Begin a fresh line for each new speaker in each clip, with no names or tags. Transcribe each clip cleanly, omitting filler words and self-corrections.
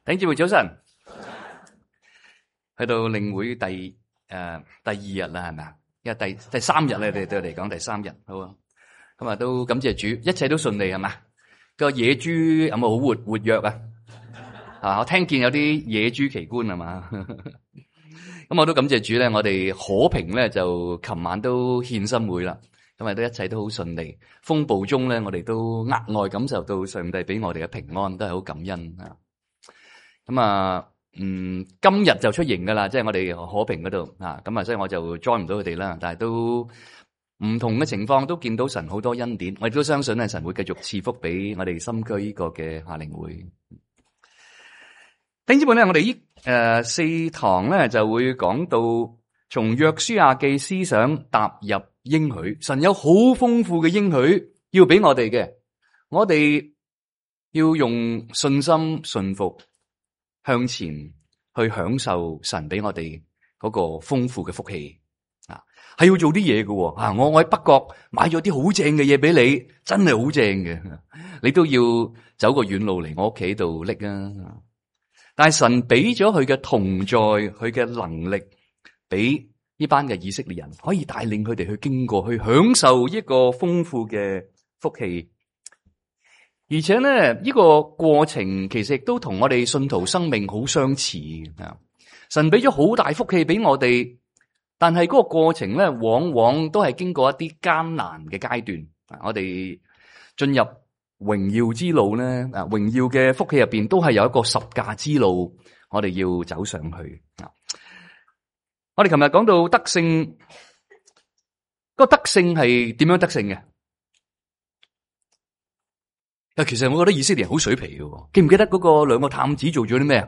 弟兄姊妹早晨，去到領會第二日啦，係咪啊？因為第三日咧，對我嚟講第三日，好啊。咁啊，都感謝主，一切都順利係嘛？個野豬有冇好活躍啊？啊，我聽見有啲野豬奇觀係嘛？咁我都感謝主咧，我哋可平咧就琴晚都獻心會啦，咁啊都一切都好順利。風暴中咧，我哋都額外感受到上帝俾我哋嘅平安，都係好感恩啊。咁啊，今日就出營噶啦，即係我哋可平嗰度啊，咁啊，所以我就 join 唔到佢哋啦。但係都唔同嘅情況，都見到神好多恩典，我亦都相信咧，神會繼續賜福俾我哋深區呢個嘅夏令會。弟兄姊妹咧，我哋呢4堂咧就會講到從約書亞記思想踏入應許，神有好豐富嘅應許要俾我哋嘅，我哋要用信心順服向前去享受神俾我哋嗰個豐富嘅福氣啊，係要做啲嘢嘅啊！我喺北角買咗啲好正嘅嘢俾你，真係好正嘅，你都要走個遠路嚟我屋企度拎啊！但係神俾咗佢嘅同在，佢嘅能力，俾呢班嘅以色列人可以帶領佢哋去經過，去享受一個豐富嘅福氣。而且咧，呢個過程其實亦都同我哋信徒生命好相似啊！神俾咗好大福氣俾我哋，但係嗰個過程咧，往往都係經過一啲艱難嘅階段。我哋進入榮耀之路咧，榮耀嘅福氣入邊都係有一個十架之路，我哋要走上去啊！我哋琴日講到得勝，個得勝係點樣得勝嘅？其實我覺得以色列人好水皮嘅，記唔記得嗰個2個探子做咗啲咩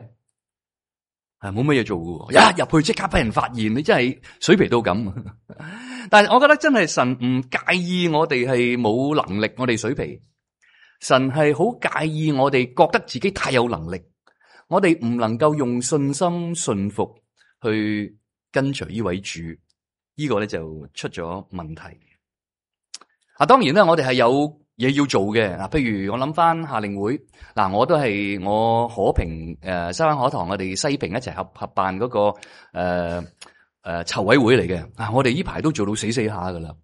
啊？冇乜嘢做嘅，一入去即刻俾人發現，你真係水皮到咁。但係我覺得真係神唔介意我哋係冇能力，我哋水皮。神係好介意我哋覺得自己太有能力，我哋唔能夠用信心順服去跟隨呢位主，呢個咧就出咗問題。當然咧，我哋係有嘢要做嘅。譬如我諗翻夏令會，我都係我可平西灣可堂，我哋西平一齊合辦嗰個籌委會嚟嘅。我哋呢排都做到死下噶啦。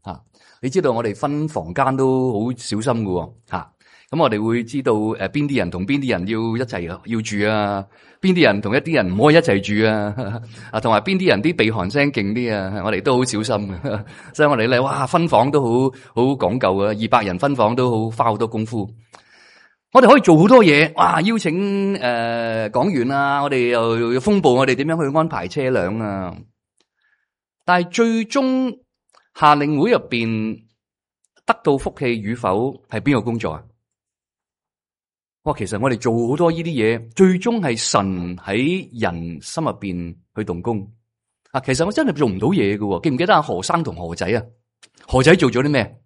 你知道我哋分房間都好小心噶吓。咁我哋會知道邊啲人同邊啲人要一齊要住啊，邊啲人同一啲人唔可以一齊住啊，同埋邊啲人啲鼻鼾聲勁啲啊，我哋都好小心嘅。所以我哋咧，哇，分房都好講究啊，200人分房都花好多功夫。我哋可以做好多嘢，哇，邀請講員啊，我哋又要風暴，我哋點樣去安排車輛啊。但係最終夏令會入邊得到福氣與否係邊個工作啊？其實我哋做好多呢啲嘢，最終係神喺人心入邊去動工。其實我真係做唔到嘢嘅，記唔記得阿何生同何仔啊？何仔做咗啲咩？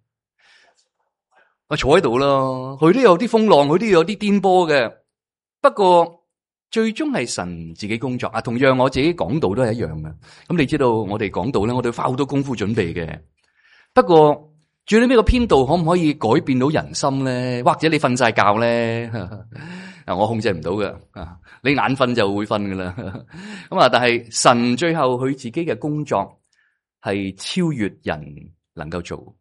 坐喺度咯，佢都有啲風浪，佢都有啲顛簸嘅。不過最終係神自己工作。同樣我自己講道都係一樣嘅。咁你知道我哋講道咧，我哋花好多功夫準備嘅。不過最尾個編導可唔可以改變到人心咧？或者你瞓晒覺咧？我控制唔到嘅。你眼瞓就會瞓噶啦。咁但係神最後佢自己嘅工作係超越人能夠做。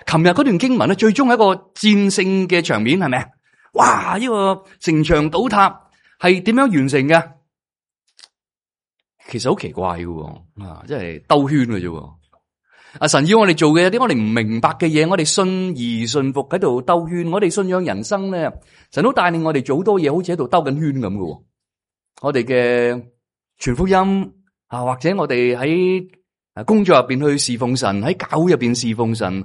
琴日嗰段經文咧，最終係一個戰勝嘅場面，係咪啊？哇！呢個城牆倒塌係點樣完成嘅？其實好奇怪嘅，即係兜圈嘅啫。神要我哋做嘅有啲我哋唔明白嘅嘢，我哋信而順服喺度兜圈。我哋信仰人生咧，神都帶領我哋做好多嘢，好似喺度兜緊圈咁嘅。我哋嘅傳福音或者我哋喺工作入邊去侍奉神，喺教會入邊侍奉神，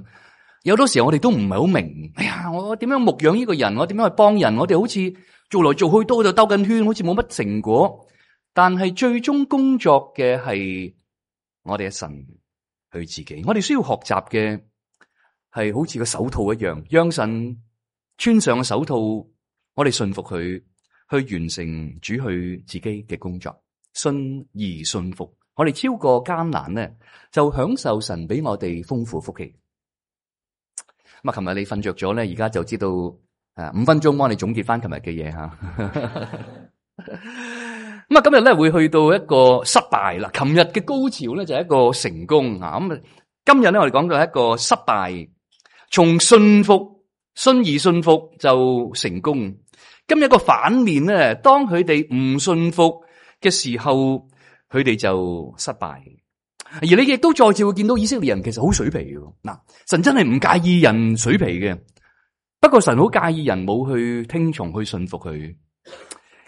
有好多時候我哋都唔係好明。哎呀，我點樣牧養呢個人？我點樣去幫人？我哋好似做來做去都喺度兜緊圈，好似冇乜成果。但係最終工作嘅係我哋嘅神。佢自己，我哋需要學習嘅係好似個手套一樣，讓神穿上個手套，我哋信服佢，去完成主佢自己嘅工作，信而信服，我哋超過艱難咧，就享受神俾我哋豐富福氣。咁琴日你瞓着咗咧，而家就知道5分鐘幫你總結翻琴日嘅嘢吓。咁啊，今日咧會去到一個失敗啦。琴日嘅高潮咧就係一個成功啊。咁啊，今日咧我哋講到一個失敗，從信服、信而信服就成功。今日一個反面咧，當佢哋唔信服嘅時候，佢哋就失敗。而你亦都再次會見到以色列人其實好水皮嘅。嗱，神真係唔介意人水皮嘅，不過神好介意人冇去聽從去信服佢。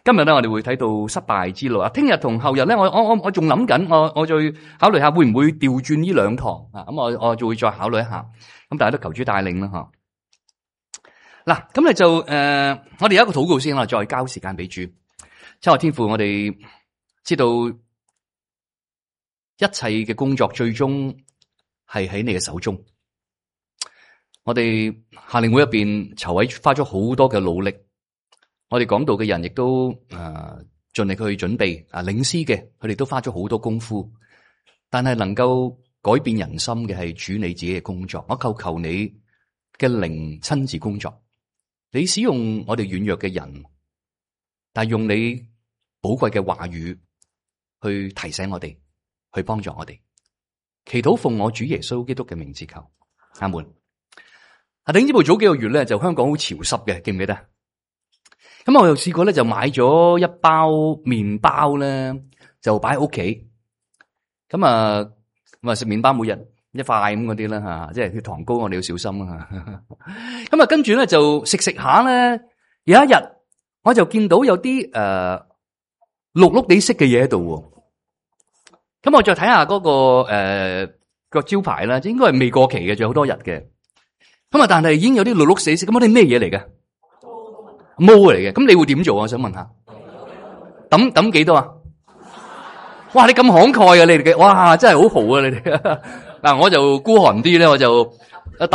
今日咧，我哋會睇到失敗之路啊！聽日同後日咧，我仲諗緊，我再考慮下會唔會調轉呢兩堂啊？咁我就會再考慮一下。咁大家都求主帶領啦，吓。嗱，咁你就我哋有一個禱告先啦，再交時間俾主。親愛天父，我哋知道一切嘅工作最終係喺你嘅手中。我哋夏令會入邊籌委花咗好多嘅努力，我哋講道嘅人亦都盡力去準備領詩嘅，佢哋都花咗好多功夫。但係能夠改變人心嘅係主你自己嘅工作。我求你嘅靈親自工作，你使用我哋軟弱嘅人，但係用你寶貴嘅話語去提醒我哋，去幫助我哋。祈禱奉我主耶穌基督嘅名字求，阿門。弟兄姊妹，早幾個月咧就香港好潮濕嘅，記唔記得？咁我又試過咧就買咗一包麵包咧，就擺喺屋企。咁啊食麵包每日一塊咁嗰啲啦吓，即係血糖高，我哋要小心啊。咁啊跟住咧就食下咧，有一日我就見到有啲綠綠地色嘅嘢喺度。咁我再睇下嗰個招牌啦，應該係未過期嘅，仲有好多日嘅。咁啊，但係已經有啲綠綠死色，咁嗰啲咩嘢嚟嘅？毛嚟嘅。咁你會點做啊？我想問下，抌幾多啊？哇！你咁慷慨啊，你哋嘅，哇，真係好豪啊，你哋。嗱，我就孤寒啲咧，我就抌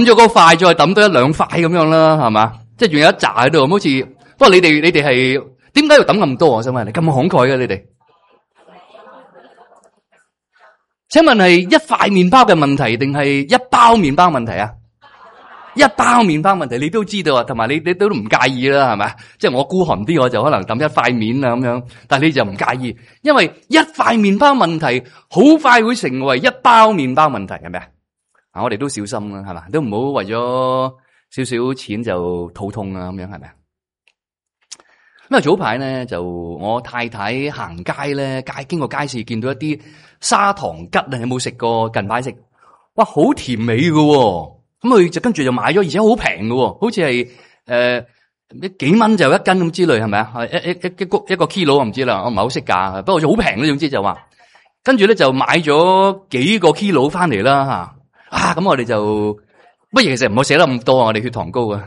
咗嗰塊，再抌多一兩塊咁樣啦，係嘛？即係仲有一紮喺度，好似。不過你哋係點解要抌咁多？我想問你，咁慷慨嘅你哋？請問係一塊麵包嘅問題，定係一包麵包問題啊？一包麵包問題，你都知道啊，同埋你都唔介意啦，係咪？即係我孤寒啲，我就可能抌一塊面啊咁樣，但係你就唔介意，因為一塊麵包問題好快會成為一包麵包問題，係咪啊？我哋都小心啦，係嘛？都唔好為咗少少錢就肚痛啊，咁樣係咪啊？咁啊早排咧就我太太行街咧，經過街市見到一啲砂糖桔啊，有冇食過？近排食，哇，好甜美㗎喎。咁佢就跟住就買咗，而且好平喎，好似係幾蚊就一斤咁之類，係咪啊？一個 kilo 我唔知啦，我唔係好識價，不過好平咧，總之就話，跟住咧就買咗幾個 kilo 翻嚟啦吓，咁我哋就不如其實唔好寫得咁多，我哋血糖高啊，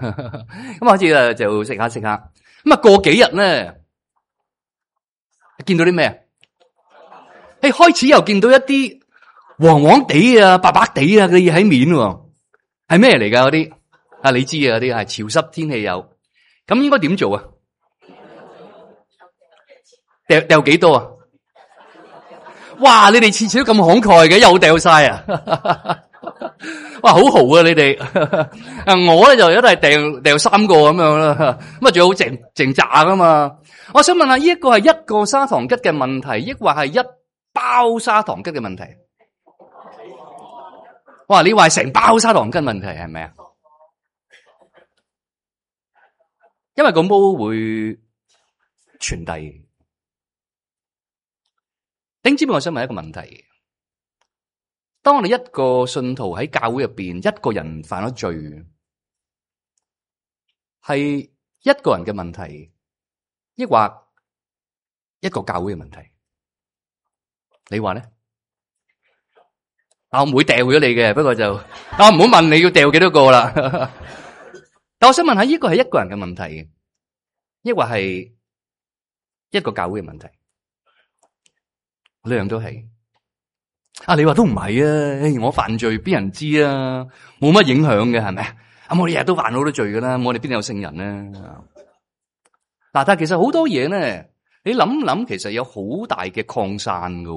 咁好似就食下，咁啊過幾日咧，見到啲咩？開始又見到一啲黃黃地啊、白白地啊嘅嘢喺面喎。係咩嚟噶嗰啲？啊，你知啊，嗰啲係潮濕天氣有，咁應該點做啊？掉幾多啊？哇！你哋次次都咁慷慨嘅，又掉晒啊！哇，好豪啊你哋！我咧就一定係掉3個咁樣啦，咁啊仲好剩炸噶嘛？我想問下，呢一個係一個砂糖桔嘅問題，抑或係一包砂糖桔嘅問題？哇！你話成包砂糖桔問題係咪啊？因為個毛會傳遞。丁知唔知我想問一個問題？當我哋一個信徒喺教會入邊，一個人犯咗罪，係一個人嘅問題，抑或一個教會嘅問題？你話咧？我唔會掉咗你嘅，不過就我唔好問你要掉幾多個啦。但我想問下，呢個係一個人嘅問題，抑或係一個教會嘅問題？兩樣都係。你話都唔係啊？我犯罪邊人知啊？冇乜影響嘅係咪啊？我哋日日都犯好多罪噶啦，我哋邊有聖人咧？但係其實好多嘢咧，你諗諗，其實有好大嘅擴散噶。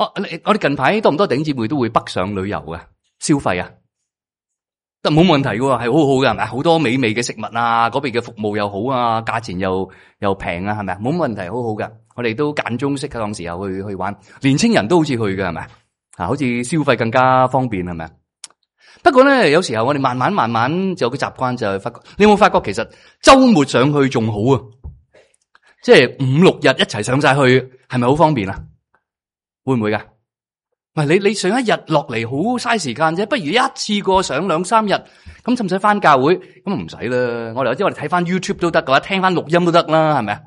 我哋近排多唔多弟兄姊妹都會北上旅遊啊？消費啊？得冇問題嘅喎，係好好嘅，係咪？好多美味嘅食物啊，嗰邊嘅服務又好啊，價錢又平啊，係咪？冇問題，好好嘅。我哋都間中適當時候去玩，年青人都好似去嘅，係咪？好似消費更加方便，係咪？不過咧，有時候我哋慢慢就有個習慣，就係發覺，你有冇發覺其實周末上去仲好啊？即係5、6日一齊上晒去，係咪好方便啊？會唔會噶？唔係你上一日落嚟好嘥時間啫，不如一次過上2、3日，咁使唔使翻教會？咁唔使啦，我哋睇翻 YouTube 都得嘅話，聽翻錄音都得啦，係咪啊？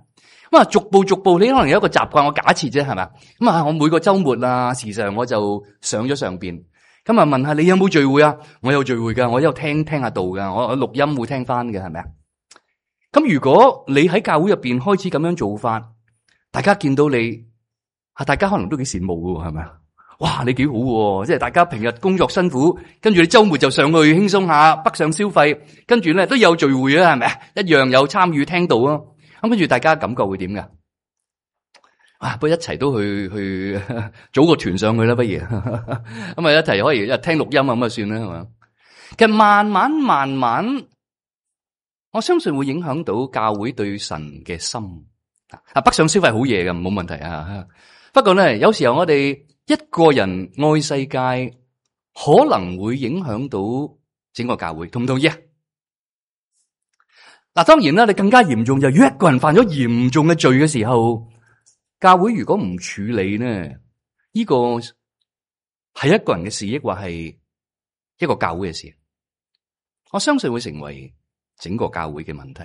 咁啊，逐步，你可能有一個習慣，我假設啫，係咪啊？咁啊，我每個週末啊，時常我就上咗上邊，咁啊問下你有冇聚會啊？我有聚會噶，我有聽下道噶，我錄音會聽翻嘅，係咪啊？咁如果你喺教會入邊開始咁樣做法，大家見到你，大家可能都幾羨慕嘅，係咪啊？哇，你幾好喎！即係大家平日工作辛苦，跟住你週末就上去輕鬆下，北上消費，跟住咧都有聚會啊，係咪啊？一樣有參與聽道啊！咁跟住大家感覺會點噶？不如一齊都去組個團上去啦，不如咁啊一齊可以一聽錄音啊，咁啊算啦，係嘛？其實慢慢，我相信會影響到教會對神嘅心。北上消費好嘢嘅，冇問題啊。不過咧，有時候我哋一個人愛世界，可能會影響到整個教會，同唔同意啊？嗱，當然啦，你更加嚴重就係，如果一個人犯咗嚴重嘅罪嘅時候，教會如果唔處理呢，呢個係一個人嘅事，抑或係一個教會嘅事，我相信會成為整個教會嘅問題。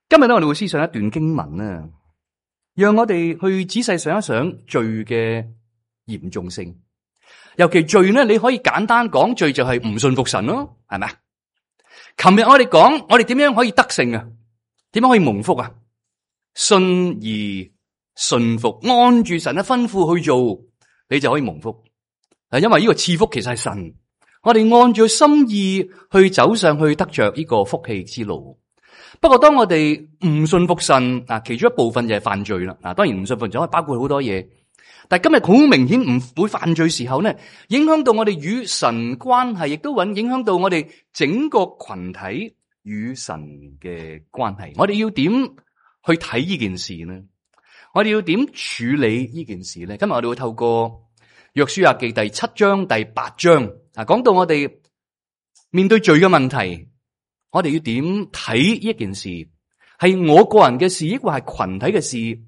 今日咧，我哋會思想一段經文啦，讓我哋去仔細想一想罪嘅嚴重性。尤其罪呢，你可以簡單講，罪就係唔信服神咯，係咪啊？琴日我哋講，我哋點樣可以得勝啊？點樣可以蒙福啊？信而順服，按住神嘅吩咐去做，你就可以蒙福。因為呢個賜福其實係神，我哋按住心意去走上去，得着呢個福氣之路。不過當我哋唔信服神，其中一部分就係犯罪啦。當然唔信服仲可以包括好多嘢。但係今日好明顯唔會犯罪時候呢，影響到我哋與神關係，亦都影響到我哋整個群體與神嘅關係。我哋要點去睇呢件事呢？我哋要點處理呢件事呢？今日我哋會透過約書亞記第7章第8章講到我哋面對罪嘅問題，我哋要點睇呢件事？係我個人嘅事，抑或係群體嘅事？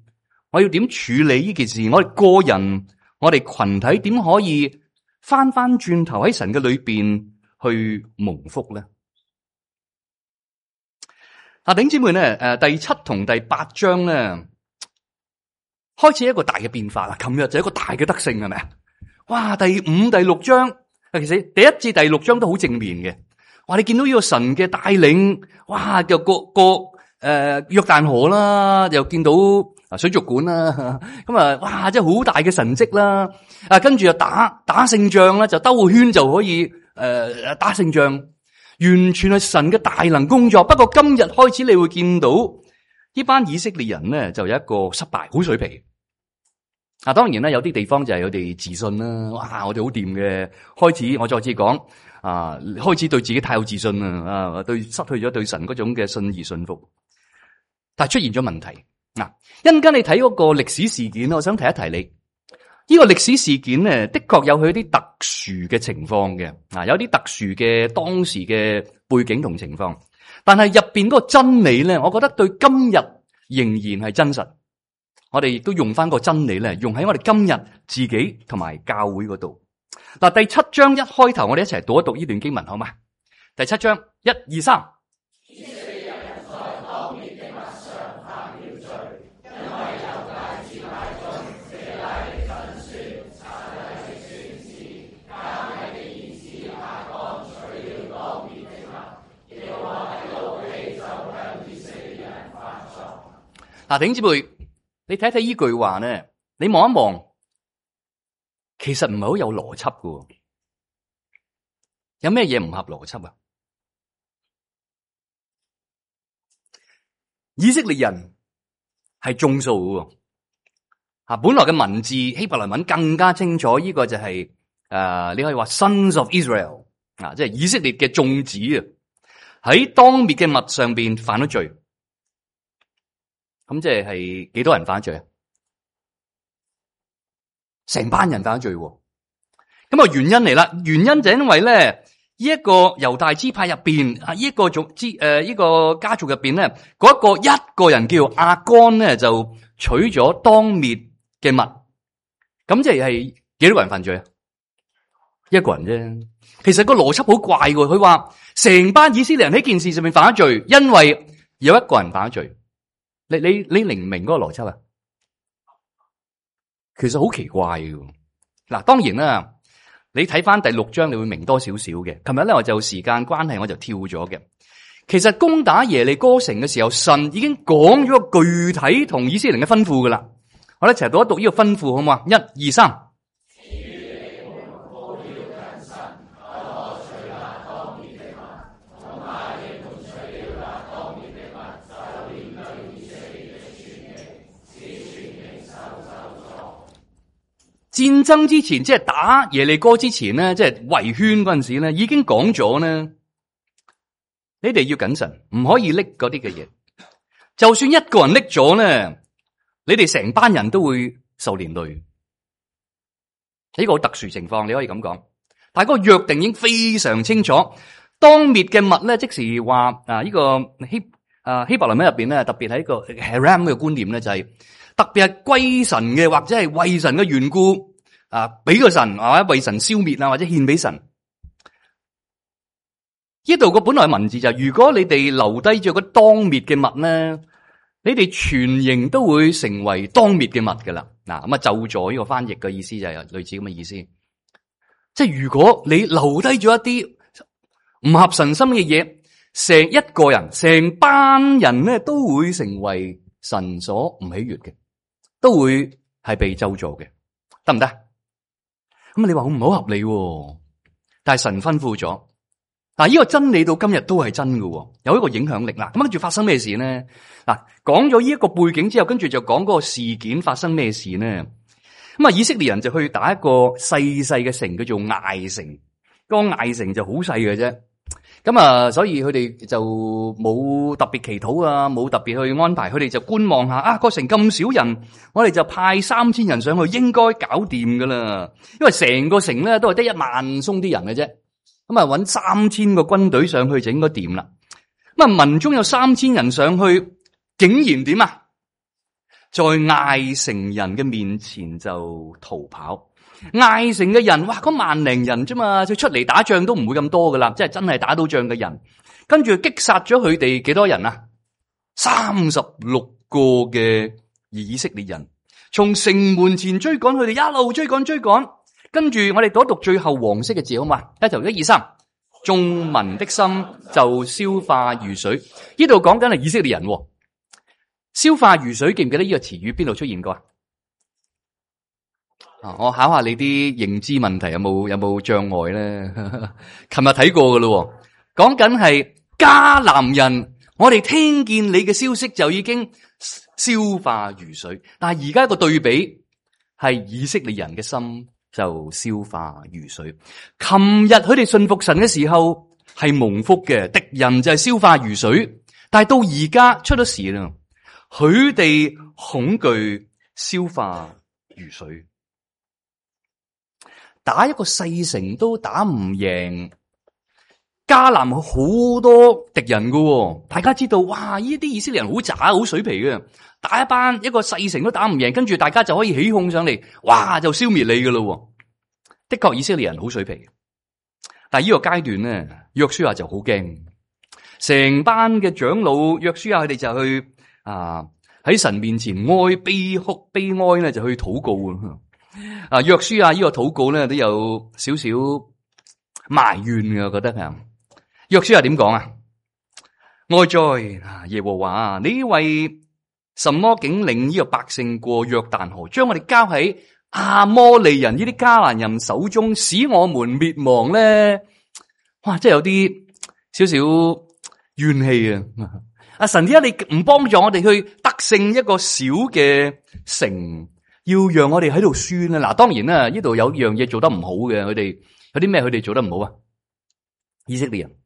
我要點處理呢件事？我哋個人，我哋群體點可以翻轉頭喺神嘅裏邊去蒙福咧？弟兄姊妹咧，第7同第8章咧，開始一個大嘅變化啦。琴日就一個大嘅得勝，係咪啊？哇！第5、第6章，其實第1至第6章都好正面嘅。哇！你見到呢個神嘅帶領，哇！又過約旦河啦，又見到水族館啦，咁啊，哇！真係好大嘅神蹟啦。跟住又打勝仗啦，就兜個圈就可以打勝仗，完全係神嘅大能工作。不過今日開始你會見到呢班以色列人咧，就有一個失敗，好水皮。當然啦，有啲地方就係佢哋自信啦。哇！我哋好掂嘅。開始我再次講開始對自己太有自信啦，失去咗對神嗰種嘅信而信服。但係出現咗問題。一陣間你睇嗰個歷史事件，我想提一提你。呢個歷史事件咧，的確有佢啲特殊嘅情況嘅，有啲特殊嘅當時嘅背景同情況。但係入邊嗰個真理咧，我覺得對今日仍然係真實。我哋亦都用翻個真理咧，用喺我哋今日自己同埋教會嗰度。第7章一開頭，我哋一齊讀一讀呢段經文，好嘛？第7章1、2、3。弟兄姊妹，你睇睇呢句話咧，你望一望，其實唔係好有邏輯㗎。有咩嘢唔合邏輯啊？以色列人係眾數㗎，本來嘅文字希伯來文更加清楚，呢個就係你可以話 Sons of Israel 即係以色列嘅眾子啊，喺當滅嘅物上邊犯咗罪。咁即係幾多人犯咗罪啊？成班人犯咗罪。咁啊原因嚟啦，原因就因為咧，呢一個猶大支派入邊啊，呢一個家族入邊咧，嗰一個人叫亞干咧，就取咗當滅嘅物。咁即係幾多個人犯罪啊？一個人啫。其實個邏輯好怪嘅，佢話成班以色列人喺件事上面犯咗罪，因為有一個人犯咗罪。你明唔明嗰個邏輯啊？其實好奇怪嘅。嗱，當然啦，你睇翻第6章，你會明多少少嘅。琴日咧，我就時間關係，我就跳咗嘅。其實攻打耶利哥城嘅時候，神已經講咗個具體同以色列人嘅吩咐噶啦。我哋一齊讀一讀呢個吩咐，好唔好啊？1、2、3。戰爭之前，即係打耶利哥之前咧，即係圍圈嗰陣時咧，已經講咗咧，你哋要謹慎，唔可以拎嗰啲嘅嘢。就算一個人拎咗咧，你哋成班人都會受連累。呢個好特殊情況，你可以咁講。但係嗰個約定已經非常清楚，當滅嘅物咧，即時話呢個希伯來文入邊咧，特別喺個 Haram 嘅觀念咧，就係特別係歸神嘅，或者係為神嘅緣故俾個神或者為神消滅啊，或者獻俾神。呢度個本來文字就係，如果你哋留低咗個當滅嘅物咧，你哋全營都會成為當滅嘅物噶啦。嗱，咁啊，就咗呢個翻譯嘅意思就係類似咁嘅意思。即係如果你留低咗一啲唔合神心嘅嘢，成一個人、成班人咧都會成為神所唔喜悅嘅，都會係被咒詛嘅，得唔得？咁你話好唔好合理？但係神吩咐咗，嗱，呢個真理到今日都係真嘅，有一個影響力啦。咁跟住發生咩事呢？嗱，講咗呢一個背景之後，跟住就講嗰個事件發生咩事呢？咁啊，以色列人就去打一個細細嘅城，叫做艾城。嗰個艾城就好細嘅啫。咁啊，所以佢哋就冇特別祈禱啊，冇特別去安排，佢哋就觀望下個城咁少人，我哋就派3000人上去，應該搞掂噶啦。因為成個城咧都係得1萬鬆啲人嘅啫，咁啊搵3000個軍隊上去就應該掂啦。咁啊，民中有3000人上去，竟然點啊？在艾城人嘅面前就逃跑。艾城嘅人，哇，嗰1萬人啫嘛，佢出嚟打仗都唔會咁多噶啦，即係真係打到仗嘅人。跟住擊殺咗佢哋幾多人啊？36個嘅以色列人，從城門前追趕佢哋，一路追趕。跟住我哋讀一讀最後黃色嘅字好嘛？一頭1、2、3，眾民的心就消化如水。呢度講緊係以色列人，消化如水，記唔記得呢個詞語邊度出現過啊？我考下你啲認知問題有冇障礙咧？琴日睇過噶咯，講緊係迦南人，我哋聽見你嘅消息就已經消化如水，但係而家個對比係以色列人嘅心就消化如水。琴日佢哋信服神嘅時候係蒙福嘅，敵人就係消化如水，但係到而家出咗事啦，佢哋恐懼消化如水。打一個細城都打唔贏，迦南好多敵人噶，大家知道，哇！呢啲以色列人好渣，好水皮嘅，打一個細城都打唔贏，跟住大家就可以起哄上嚟，哇！就消滅你噶咯。的確，以色列人好水皮，但係呢個階段咧，約書亞就好驚，成班嘅長老約書亞佢哋就去喺神面前悲哭悲哀咧，就去禱告。約書亞呢個禱告咧都有少少埋怨嘅，我覺得啊。約書亞點講啊？哀哉耶和華，你為什麼竟領呢個百姓過約旦河，將我哋交喺亞摩利人呢啲迦南人手中，使我們滅亡咧？哇，真係有啲少少怨氣啊！神點解你唔幫助我哋去得勝一個小嘅城？要讓我哋喺度輸咧，嗱，當然啦，呢度有樣嘢做得唔好嘅，佢哋有啲咩佢哋做得唔好啊？以色列人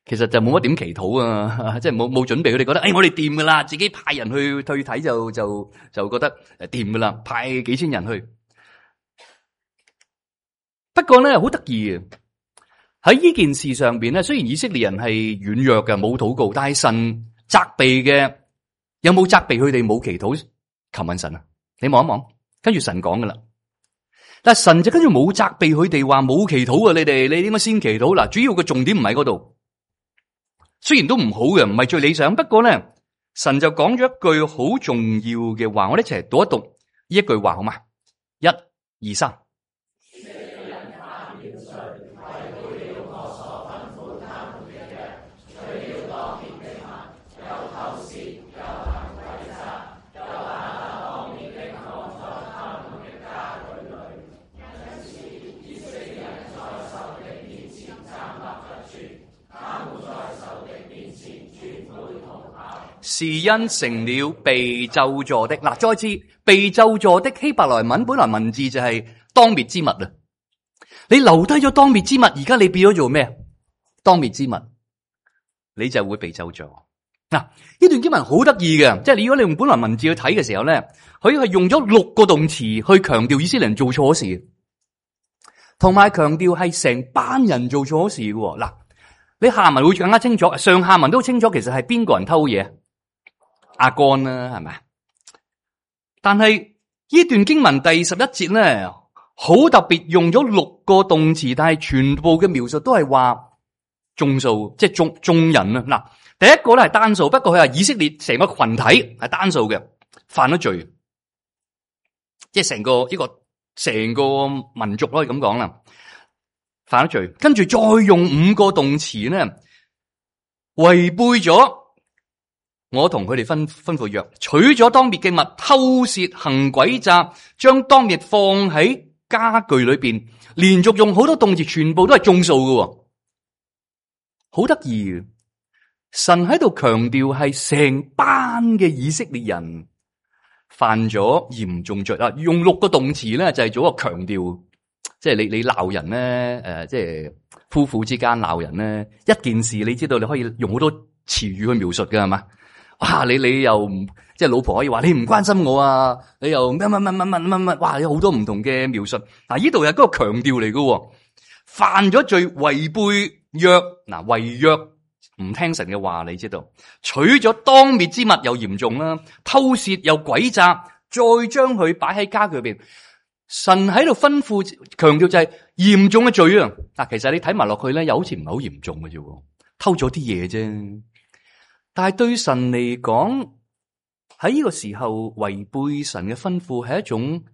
其實就冇乜點祈禱啊，即係冇準備，佢哋覺得我哋掂噶啦，自己派人去睇就覺得掂噶啦，派幾千人去。不過咧好得意嘅，喺呢件事上邊咧，雖然以色列人係軟弱嘅，冇禱告，但係神責備嘅有冇責備佢哋冇祈禱求問神啊？你望一望，跟住神講噶啦。但係神就跟住冇責備佢哋話冇祈禱啊！你點解先祈禱？嗱，主要嘅重點唔喺嗰度。雖然都唔好嘅，唔係最理想，不過咧，神就講咗一句好重要嘅話，我哋一齊讀一讀呢一句話好嘛？1、2、3。是因成了被咒詛的。嗱，再次被咒詛的希伯來文本來文字就係當滅之物啊！你留低咗當滅之物，而家你變咗做咩？當滅之物，你就會被咒詛。嗱，呢段經文好得意嘅，即係如果你用本來文字去睇嘅時候咧，佢係用咗6個動詞去強調以色列人做錯事，同埋強調係成班人做錯事嘅。嗱，你下文會更加清楚，上下文都清楚，其實係邊個人偷嘢？亞干啦，係咪？但係呢段經文第11節咧，好特別用咗6個動詞，但係全部嘅描述都係話眾數，即係眾人啊。嗱，第一個咧係單數，不過佢話以色列成個群體係單數嘅，犯咗罪，即係成個民族可以咁講啦，犯咗罪。跟住再用5個動詞咧，違背咗我同佢哋吩咐約，取咗當滅嘅物，偷竊行詭詐，將當滅放喺家具裏邊，連續用好多動詞，全部都係眾數嘅，好得意。神喺度強調係成班嘅以色列人犯咗嚴重罪啦，用6個動詞咧就係做一個強調，即係你鬧人咧，即係夫婦之間鬧人咧，一件事你知道你可以用好多詞語去描述嘅係嘛？哇！你又即係老婆可以話你唔關心我啊，你又乜，哇！有好多唔同嘅描述。嗱，呢度係嗰個強調嚟嘅，犯咗罪違背約，嗱，違約唔聽神嘅話，你知道，取咗當滅之物又嚴重啦，偷竊又詭詐，再將佢擺喺家具入邊。神喺度吩咐強調就係嚴重嘅罪啊！嗱，其實你睇埋落去咧，又好似唔係好嚴重嘅啫，偷咗啲嘢啫。但係對神嚟講，喺呢個時候違背神嘅吩咐係一種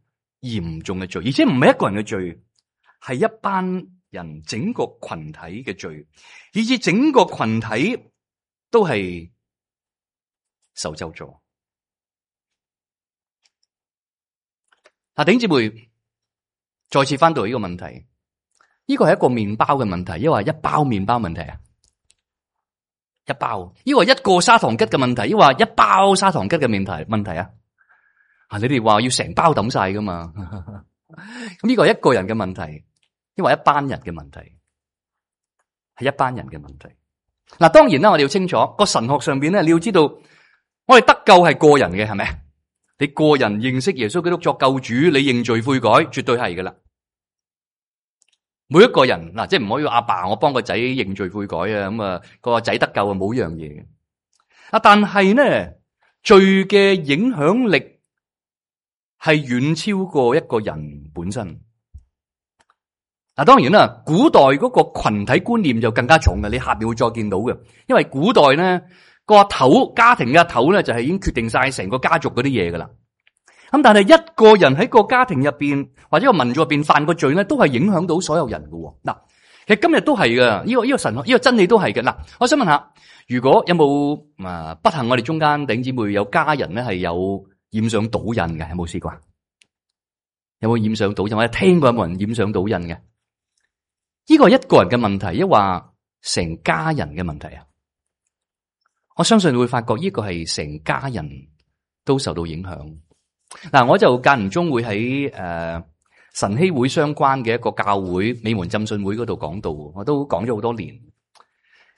嚴重嘅罪，而且唔係一個人嘅罪，係一班人整個群體嘅罪，以至整個群體都係受咒詛。弟兄姊妹，再次翻到呢個問題，呢個係一個麵包嘅問題，抑或一包麵包問題啊？一包，抑或一個砂糖桔嘅問題，抑或一包砂糖桔嘅問題啊？你哋話要成包抌晒噶嘛？咁呢個係一個人嘅問題，抑或一班人嘅問題？係一班人嘅問題。嗱，當然啦，我哋要清楚個神學上邊咧，你要知道，我哋得救係個人嘅，係咪？你個人認識耶穌基督作救主，你認罪悔改，絕對係噶啦。每一個人嗱，即係唔可以阿爸我幫個仔認罪悔改啊，咁啊個仔得救啊，冇樣嘢嘅。但係呢，罪嘅影響力係遠超過一個人本身。當然啦，古代嗰個群體觀念就更加重嘅，你下邊會再見到嘅。因為古代呢個頭家庭嘅頭咧就係已經決定晒成個家族嗰啲嘢噶啦。咁但係一個人喺個家庭入邊或者個民族入邊犯個罪咧，都係影響到所有人嘅。嗱，其實今日都係嘅，呢個神學呢個真理都係嘅。嗱，我想問下，如果有冇不幸我哋中間弟兄姊妹有家人咧係有染上賭癮嘅，有冇試過？有冇染上賭癮或者聽過有冇人染上賭癮嘅？呢個係一個人嘅問題，抑或成家人嘅問題啊？我相信你會發覺呢個係成家人都受到影響。嗱，我就間唔中會喺晨曦會相關嘅一個教會美門浸信會嗰度講道，我都講咗好多年。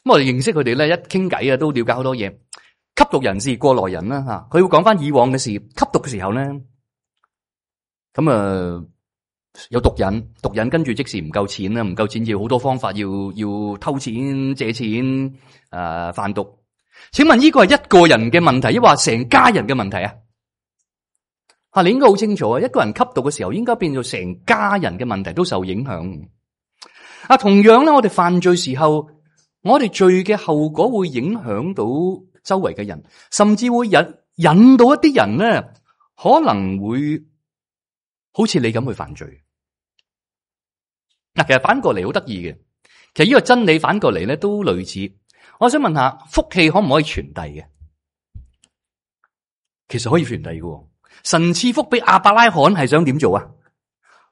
咁我哋認識佢哋咧，一傾偈啊，都了解好多嘢。吸毒人士過來人啦吓，佢會講翻以往嘅事。吸毒嘅時候咧，咁有毒癮跟住即時唔夠錢啦，唔夠錢要好多方法，要偷錢、借錢、販毒。請問呢個係一個人嘅問題，抑或成家人嘅問題啊？你應該好清楚啊！一個人吸毒嘅時候，應該變做成家人嘅問題都受影響。同樣咧，我哋犯罪時候，我哋罪嘅後果會影響到周圍嘅人，甚至會引到一啲人咧，可能會好似你咁去犯罪。其實反過嚟好得意嘅，其實呢個真理反過嚟咧都類似。我想問下，福氣可唔可以傳遞嘅？其實可以傳遞嘅。神賜福俾亞伯拉罕係想點做啊？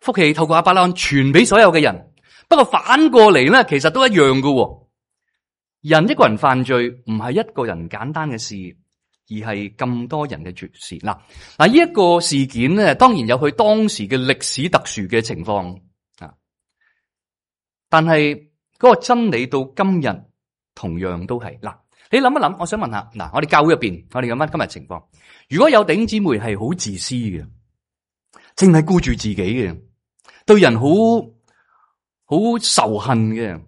福氣透過亞伯拉罕傳俾所有嘅人。不過反過嚟咧，其實都一樣嘅。人一個人犯罪唔係一個人簡單嘅事，而係咁多人嘅事。嗱，呢一個事件咧，當然有佢當時嘅歷史特殊嘅情況啊。但係嗰個真理到今日同樣都係。嗱，你諗一諗，我想問下，嗱，我哋教會入邊，我哋咁翻今日情況，如果有弟兄姊妹係好自私嘅，淨係顧住自己嘅，對人好仇恨嘅，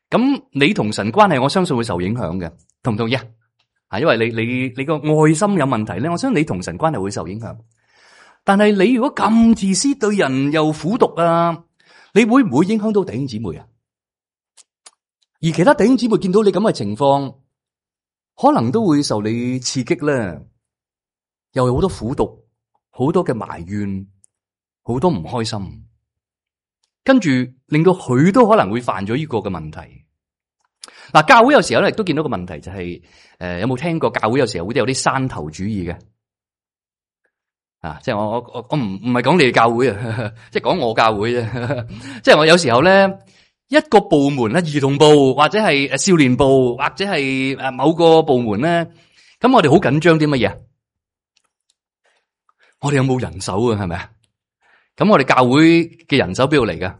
咁你同神關係，我相信會受影響嘅，同唔同意啊？因為你個愛心有問題咧，我相信你同神關係會受影響。但係你如果咁自私，對人又苦毒啊，你會唔會影響到弟兄姊妹啊？而其他弟兄姊妹見到你咁嘅情況，可能都會受你刺激咧，又有好多苦毒，好多嘅埋怨，好多唔開心，跟住令到佢都可能會犯咗呢個嘅問題。嗱，教會有時候咧亦都見到個問題，就係有冇聽過教會有時候會有啲山頭主義嘅？即係我唔係講你哋教會啊，即係講我教會啫。即係我有時候咧，一個部門咧，兒童部或者係少年部或者係某個部門咧，咁我哋好緊張啲乜嘢？我哋有冇人手啊？係咪啊？咁我哋教會嘅人手邊度嚟噶？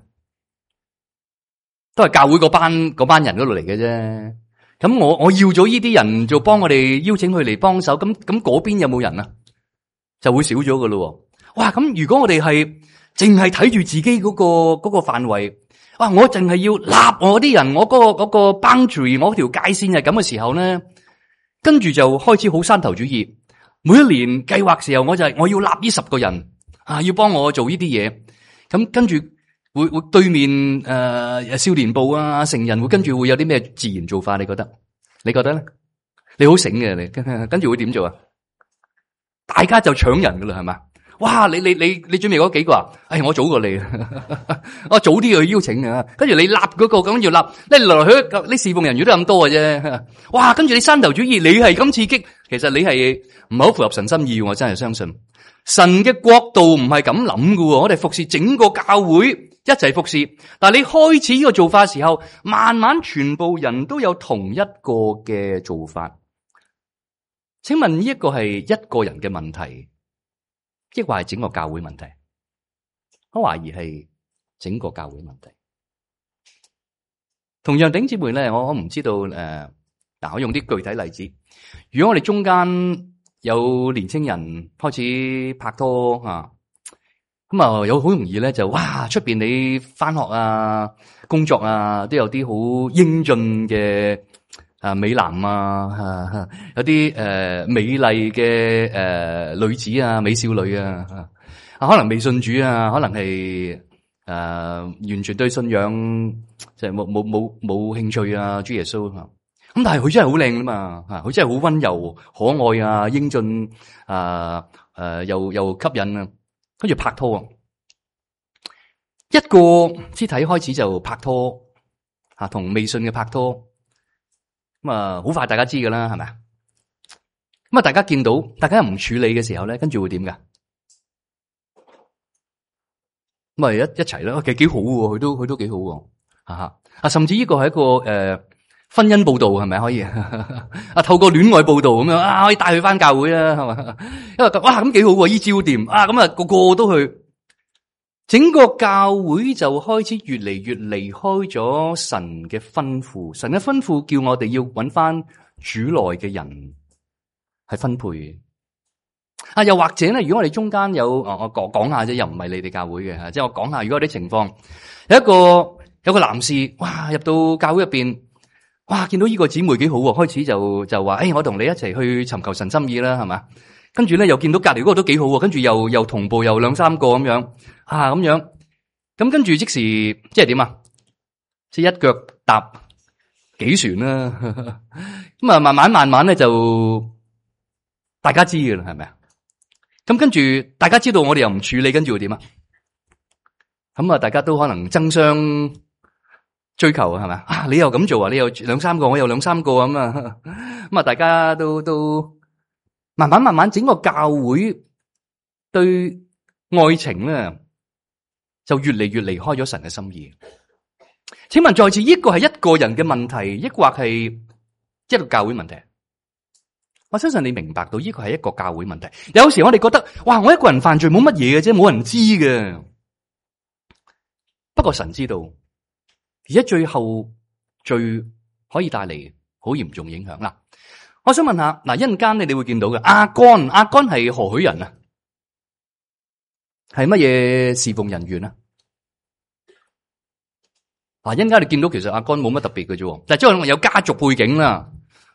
都係教會嗰班人嗰度嚟嘅啫。咁我要咗呢啲人做幫我哋邀請佢嚟幫手，咁嗰邊有冇人啊？就會少咗噶咯。哇！咁如果我哋係淨係睇住自己嗰個範圍，哇！我淨係要立我啲人，我嗰個 boundary， 我條界線係咁嘅時候咧，跟住就開始好山頭主義。每一年計劃時候，我要立呢10個人要幫我做呢啲嘢。咁跟住會對面少年部啊、成人會跟住會有啲咩自然做法？你覺得咧？你好醒嘅，你跟住會點做啊？大家就搶人噶啦，係嘛？哇！你準備嗰幾個啊？我早過你，我早啲去邀請啊。跟住你立嗰個咁要立，你來來去去，你侍奉人員都咁多嘅啫。哇！跟住你山頭主義，你係咁刺激，其實你係唔係好符合神心意？我真係相信神嘅國度唔係咁諗噶。我哋服侍整個教會一齊服侍，但係你開始呢個做法嘅時候，慢慢全部人都有同一個嘅做法。請問呢一個係一個人嘅問題，抑或係整個教會問題？我懷疑係整個教會問題。同樣弟兄姊妹咧，我唔知道我用啲具體例子。如果我哋中間有年青人開始拍拖咁有好容易咧就出邊你返學啊、工作啊都有啲好英俊嘅美男有啲美麗嘅女子啊、美少女啊，可能未信主啊，可能係完全對信仰即係冇興趣啊，主耶穌咁，但係佢真係好靚㗎嘛，佢真係好溫柔、可愛啊、英俊又吸引啊，跟住拍拖一個肢體開始就拍拖同未信嘅拍拖。咁好快大家知噶啦，係咪啊？咁大家見到大家唔處理嘅時候咧，跟住會點噶？咁一齊啦，其實幾好喎，佢都幾好喎，甚至呢個係一個婚姻報道，係咪可以透過戀愛報道咁樣可以帶佢翻教會啊，係嘛？因為咁幾好喎，依招掂咁個個都去，整個教會就開始越嚟越離開咗神嘅吩咐。神嘅吩咐叫我哋要揾翻主內嘅人係分配。又或者咧，如果我哋中間有我講下啫，又唔係你哋教會嘅，即係我講下，如果有啲情況，有個男士，哇，入到教會入邊，哇，見到呢個姊妹幾好喎，開始就話，我同你一齊去尋求神心意啦，係嘛？跟住咧又見到隔籬嗰個都幾好喎，跟住又同步又兩三個咁樣，咁樣，咁跟住即時即係點啊？即係一腳踏幾船啦，咁啊慢慢咧就大家知㗎啦，係咪啊？咁跟住大家知道我哋又唔處理，跟住會點啊？咁大家都可能爭相追求係咪？你又咁做啊？你又兩三個，我又兩三個咁啊？咁啊，大家都慢慢整個教會對愛情咧就越嚟越離開咗神嘅心意。請問在此呢個係一個人嘅問題，抑或係一個教會問題？我相信你明白到呢個係一個教會問題。有時我哋覺得，哇，我一個人犯罪冇乜嘢嘅啫，冇人知嘅。不過神知道，而且最後罪可以帶嚟好嚴重影響。嗱，我想問下，一陣間你哋會見到嘅亞干係何許人啊？係乜嘢侍奉人員啊？一陣間你見到其實亞干冇乜特別嘅啫，但係即係有家族背景啦。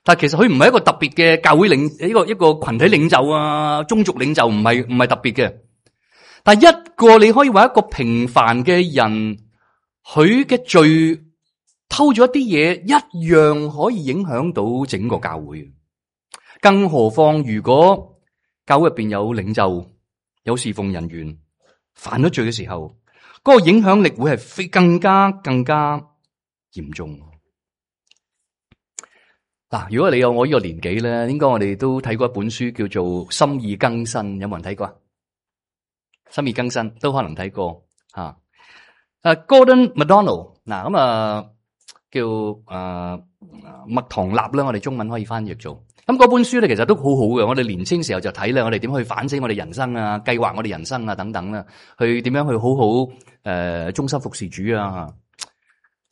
但係其實佢唔係一個特別嘅教會一個群體領袖啊，宗族領袖唔係特別嘅。但係一個你可以話一個平凡嘅人，佢嘅罪偷咗一啲嘢，一樣可以影響到整個教會。更何況如果教會入邊有領袖、有侍奉人員犯咗罪嘅時候，嗰個影響力會係更加嚴重。如果你有我呢個年紀咧，應該我哋都睇過一本書叫做《心意更新》，有冇人睇過啊？心意更新都可能睇過吓。Gordon MacDonald 叫麥唐納啦，我哋中文可以翻譯做。咁嗰本書咧，其實都好好嘅。我哋年青時候就睇咧，我哋點去反省我哋人生啊，計劃我哋人生啊等等啦，去點樣去好好忠心服侍主啊。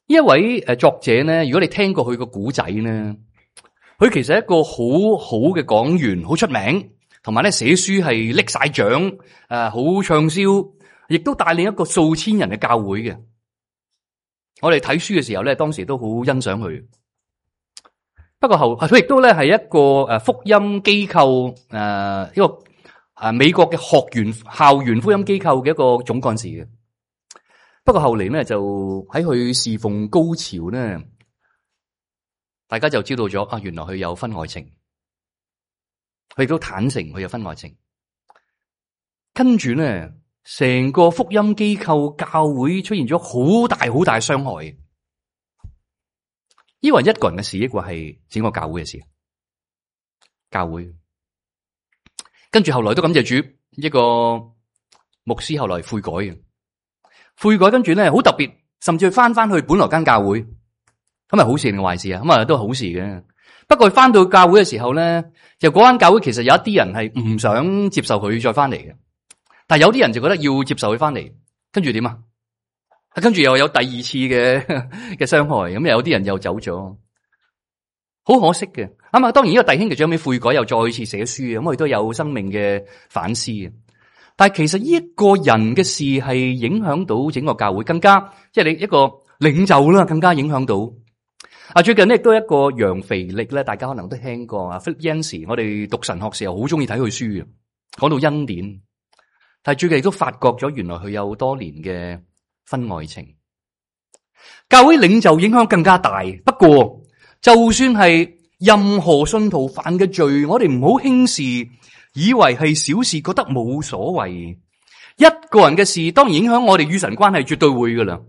呢一位作者咧，如果你聽過佢個古仔咧，佢其實係一個好好嘅講員，好出名，同埋咧寫書係拎晒獎，好暢銷，亦都帶領一個數千人嘅教會嘅。我哋睇書嘅時候咧，當時都好欣賞佢。不過佢亦都咧係一個福音機構，一個美國嘅校園福音機構嘅一個總幹事嘅。不過後嚟咧就喺佢侍奉高潮咧，大家就知道咗原來佢有婚外情，佢亦都坦誠佢有婚外情。跟住咧，成個福音機構教會出現咗好大傷害。呢個係一個人嘅事，抑或係整個教會嘅事？教會跟住後來都感謝主，一個牧師後來悔改嘅。悔改跟住咧好特別，甚至翻去本來間教會，咁係好事定壞事啊？咁都係好事嘅。不過翻到教會嘅時候咧，就嗰間教會其實有一啲人係唔想接受佢再翻嚟嘅，但係有啲人就覺得要接受佢翻嚟，跟住點啊？跟住又有第二次嘅傷害，咁有啲人又走咗，好可惜嘅。當然呢個弟兄就最後悔改，又再次寫書，咁佢都有生命嘅反思。但係其實呢一個人嘅事係影響到整個教會，更加即係你一個領袖啦，更加影響到。最近咧亦都一個楊腓力咧，大家可能都聽過啊。Philip Yancey，我哋讀神學時候好中意睇佢書嘅，講到恩典。但係最近亦都發覺咗，原來佢有多年嘅婚外情。教會領袖影響更加大。不過就算係任何信徒犯嘅罪，我哋唔好輕視，以為係小事，覺得冇所謂。一個人嘅事當然影響我哋與神關係，絕對會噶啦。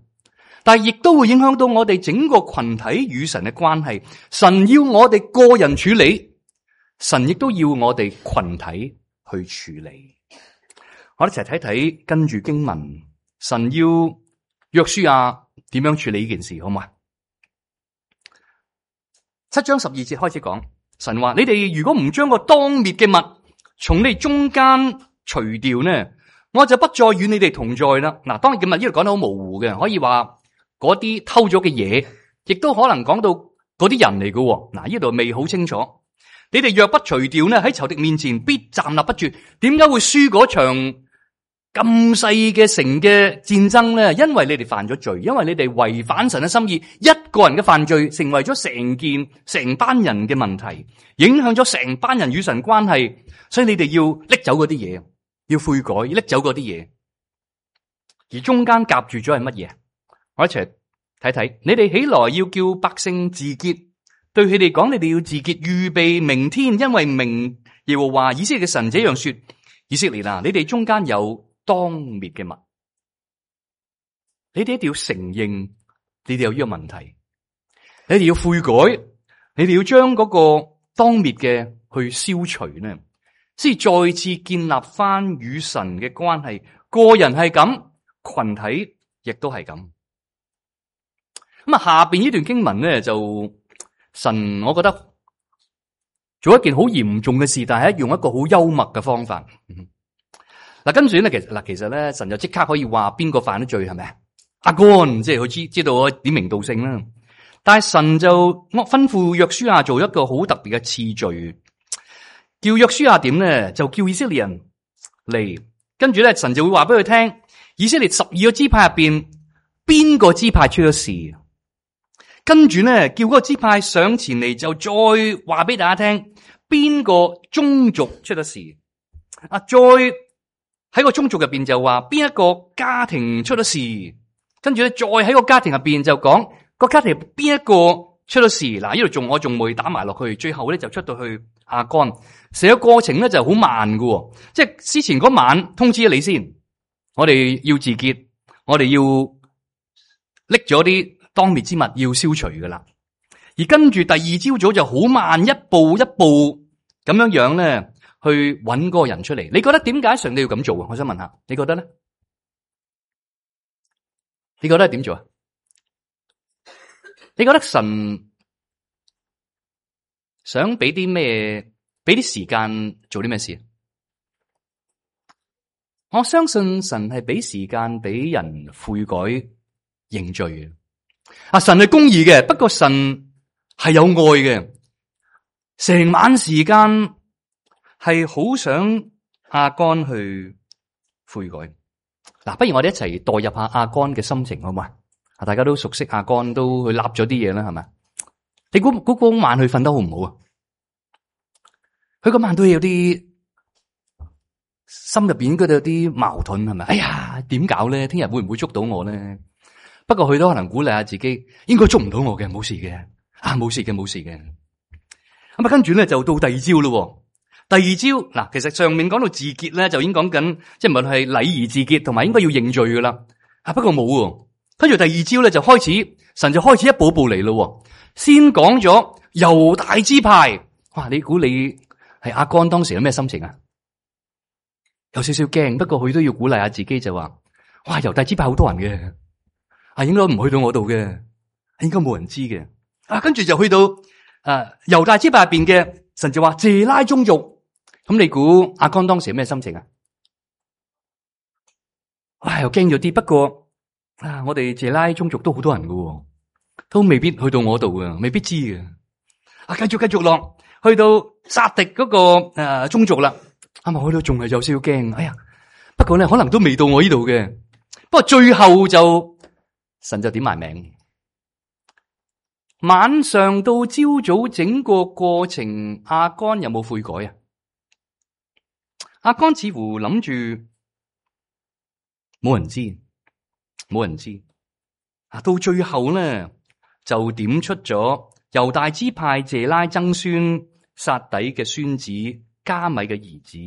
但係亦都會影響到我哋整個群體與神嘅關係。神要我哋個人處理，神亦都要我哋群體去處理。我哋一齊睇睇跟住經文，神要約書亞點樣處理呢件事，好嘛？7章12節開始講，神話你哋如果唔將個當滅嘅物從你中間除掉呢，我就不再與你哋同在啦。嗱，當然今日呢度講得好模糊嘅，可以話嗰啲偷咗嘅嘢，亦都可能講到嗰啲人嚟嘅。嗱，呢度未好清楚。你哋若不除掉呢，喺仇敵面前必站立不住。點解會輸嗰場咁細嘅城嘅戰爭咧？因為你哋犯咗罪，因為你哋違反神嘅心意。一個人嘅犯罪，成為咗成班人嘅問題，影響咗成班人與神關係。所以你哋要拎走嗰啲嘢，要悔改，要拎走嗰啲嘢。而中間夾住咗係乜嘢？我一齊睇睇。你哋起來要叫百姓自潔。對佢哋講，你哋要自潔，預備明天，因為明耶和華以色列嘅神這樣說：以色列啊，你哋中間有當滅嘅物，你哋一定要承認，你哋有呢個問題，你哋要悔改，你哋要將嗰個當滅嘅去消除呢，先再次建立翻與神嘅關係。個人係咁，群體亦都係咁。咁啊，下邊呢段經文咧就。神，我覺得做一件好嚴重嘅事，但係用一個好幽默嘅方法。嗱，跟住咧，其實咧，神就即刻可以話邊個犯咗罪，係咪？亞干，即係佢知道我點名道姓啦。但係神就吩咐約書亞做一個好特別嘅次序，叫約書亞點咧，就叫以色列人嚟，跟住咧，神就會話俾佢聽，以色列12個支派入邊邊個支派出咗事。跟住咧，叫嗰個支派上前嚟，就再話俾大家聽，邊個宗族出咗事。再喺個宗族入邊就話邊一個家庭出咗事。跟住咧，再喺個家庭入邊就講個家庭邊一個出咗事。嗱，呢度我仲未打埋落去，最後咧就出到去亞干。成個過程咧就好慢喎。即係之前嗰晚通知咗你先，我哋要自潔，我哋要拎咗啲當滅之物要消除噶啦，而跟住第二朝早就好慢，一步一步咁樣咧去揾嗰個人出嚟。你覺得點解上帝要咁做啊？我想問下，你覺得咧？你覺得係點做啊？你覺得神想俾啲咩？俾啲時間做啲咩事？我相信神係俾時間俾人悔改認罪。神係公義嘅，不過神係有愛嘅。成晚時間係好想亞干去悔改。嗱，不如我哋一齊代入下亞干嘅心情好嘛？大家都熟悉亞干，都去立咗啲嘢啦，係咪？你估嗰晚佢瞓得好唔好啊？佢嗰晚都有啲心入邊應該都有啲矛盾，係咪？哎呀，點搞咧？聽日會唔會捉到我咧？不過佢都可能鼓勵下自己，應該捉唔到我嘅，冇事嘅，冇事嘅，冇事嘅。咁啊，跟住咧就到第二朝咯。第二朝嗱，其實上面講到自潔咧，就已經講緊，即係無論係禮儀自潔，同埋應該要認罪噶啦。不過冇，跟住第二朝咧就開始，神就開始一步一步嚟咯。先講咗猶大支派，哇！你估你係亞干當時有咩心情啊？有少少驚，不過佢都要鼓勵下自己，就話：哇！猶大支派好多人嘅。應該唔去到我度嘅，應該冇人知嘅。跟住就去到猶大支派入邊嘅，神就話謝拉宗族。咁你估亞干當時有咩心情啊？又驚咗啲。不過我哋謝拉宗族都好多人嘅，都未必去到我度嘅，未必知嘅。繼續落去到撒狄嗰個宗族啦。我都仲係有少少驚。哎呀，不過咧可能都未到我呢度嘅。不過最後就。神就點埋名，晚上到朝早整個過程，亞干有冇悔改啊？亞干似乎諗住冇人知，到最後呢，就點出咗猶大支派謝拉曾孫撒底嘅孫子加米嘅兒子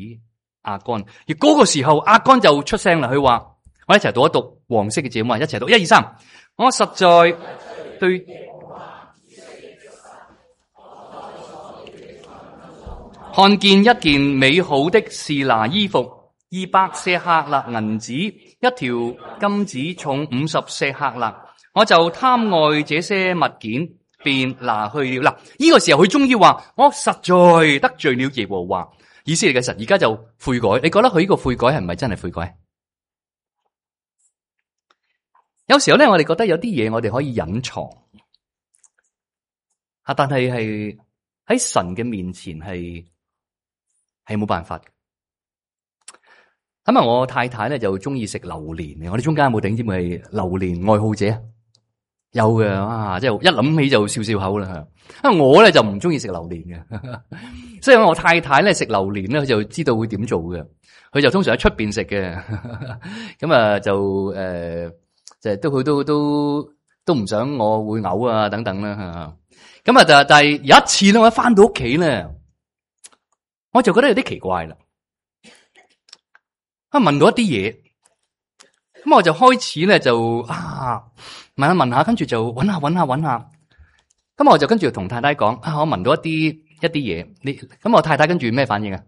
亞干，而嗰個時候亞干就出聲啦，佢話。我一齊讀一讀黃色嘅字幕，一齊讀1、2、3。我實在對看見一件美好的示拿衣服，200舍客勒銀子，一條金子重50舍客勒，我就貪愛這些物件，便拿去了。嗱，呢個時候佢終於話：我實在得罪了耶和華以色列嘅神，而家就悔改。你覺得佢呢個悔改係唔係真係悔改？有時候咧，我哋覺得有啲嘢我哋可以隱藏，但係喺神嘅面前係冇辦法嘅。咁啊，我太太咧就中意食榴蓮嘅。我哋中間有冇頂尖係榴蓮愛好者？有嘅啊，即係一諗起就笑笑口啦。啊，我咧就唔中意食榴蓮嘅，所以我太太咧食榴蓮咧，佢就知道會點做嘅。佢就通常喺出邊食嘅，咁啊就就都唔想我會嘔啊等等啦。咁啊，但係有一次咧，我一翻到屋企咧，我就覺得有啲奇怪啦。問到一啲嘢，咁我就開始咧就問下，跟住就揾下，咁我就跟住同太太講我聞到一啲嘢，咁我太太跟住咩反應啊？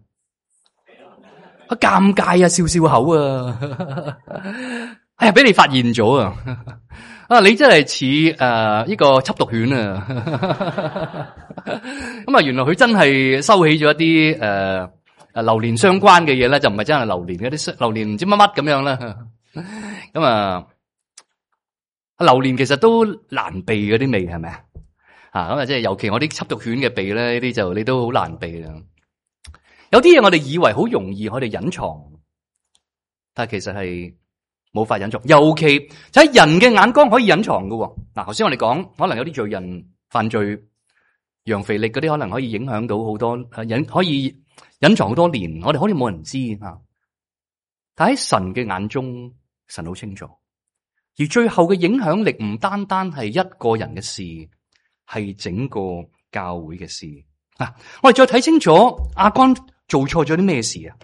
尷尬啊，笑笑口啊，哎呀，俾你發現咗啊！你真係似呢個緝毒犬啊！咁啊，原來佢真係收起咗一啲榴蓮相關嘅嘢咧，就唔係真係榴蓮嘅啲榴蓮唔知乜乜咁樣啦。咁啊，榴蓮其實都難避嗰啲味係咪啊？咁啊，即係尤其我啲緝毒犬嘅鼻咧，呢啲就你都好難避啦。有啲嘢我哋以為好容易，我哋隱藏，但係其實係冇法隱藏。尤其就喺人嘅眼光可以隱藏㗎。嗱，頭先我哋講，可能有啲罪人犯罪，楊肥力嗰啲可能可以影響到好多，可以隱藏好多年，我哋好似冇人知啊。但喺神嘅眼中，神好清楚。而最後嘅影響力唔單單係一個人嘅事，係整個教會嘅事。我哋再睇清楚亞干做錯咗啲咩事啊？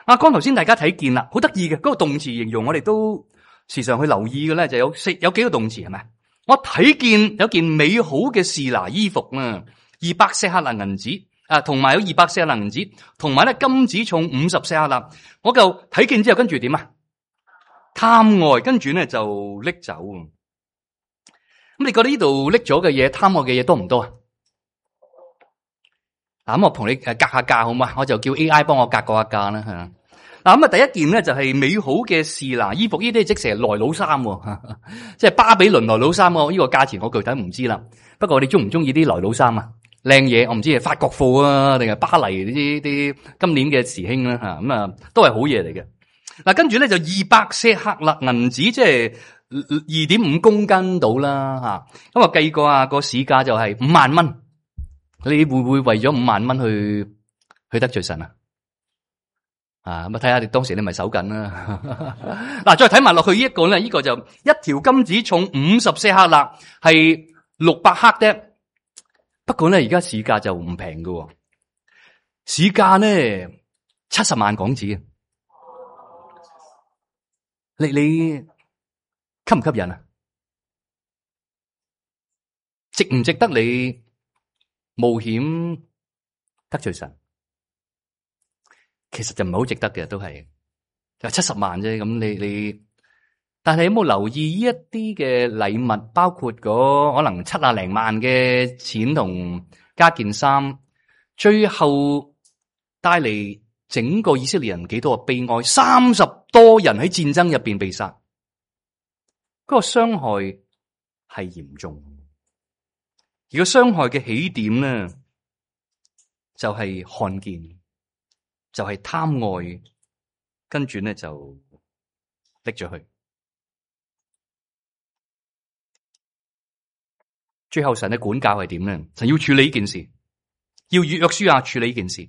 亞干頭先大家睇見啦，好得意嘅嗰個動詞形容，我哋都時常去留意嘅咧，就有幾個動詞係咪？我睇見有件美好嘅示拿衣服啊，200舍客勒銀子同埋有200舍客勒銀子，同埋咧金子重50舍客勒。我就睇見之後跟住點啊？貪愛，跟住咧就拎走。咁你覺得呢度拎咗嘅嘢，貪愛嘅嘢多唔多啊？咁我同你格下價好嘛？我就叫 AI 幫我格過下價啦吓。咁第一件咧就係美好嘅示拿衣服，呢啲即成來佬衫，即係巴比倫來佬衫。呢個價錢我具體唔知啦。不過你中唔中意啲來佬衫啊？靚嘢，我唔知係法國貨啊，定係巴黎呢啲今年嘅時興啦吓。咁都係好嘢嚟嘅。嗱，跟住咧就200舍客勒銀子，即係2.5公斤到啦吓。咁我計過個市價就係5萬蚊。你會唔會為咗5萬蚊去得罪神啊？咁睇下你當時你咪守緊啦。嗱，再睇埋落去呢一個咧，呢個就一條金子重50舍客勒，係600克啫。不過咧，而家市價就唔平㗎，市價咧70萬港紙。你吸唔吸引啊？值唔值得你冒險得罪神？其實就唔係好值得嘅，都係就70萬啫。咁你，但係有冇留意呢一啲嘅禮物，包括可能70零萬嘅錢同加件衫，最後帶嚟整個以色列人幾多個悲哀？30多人喺戰爭入邊被殺，嗰個傷害係嚴重。而個傷害嘅起點咧，就係看見，就係貪愛，跟住咧就拎咗去。最後神嘅管教係點咧？神要處理呢件事，要約書亞處理呢件事。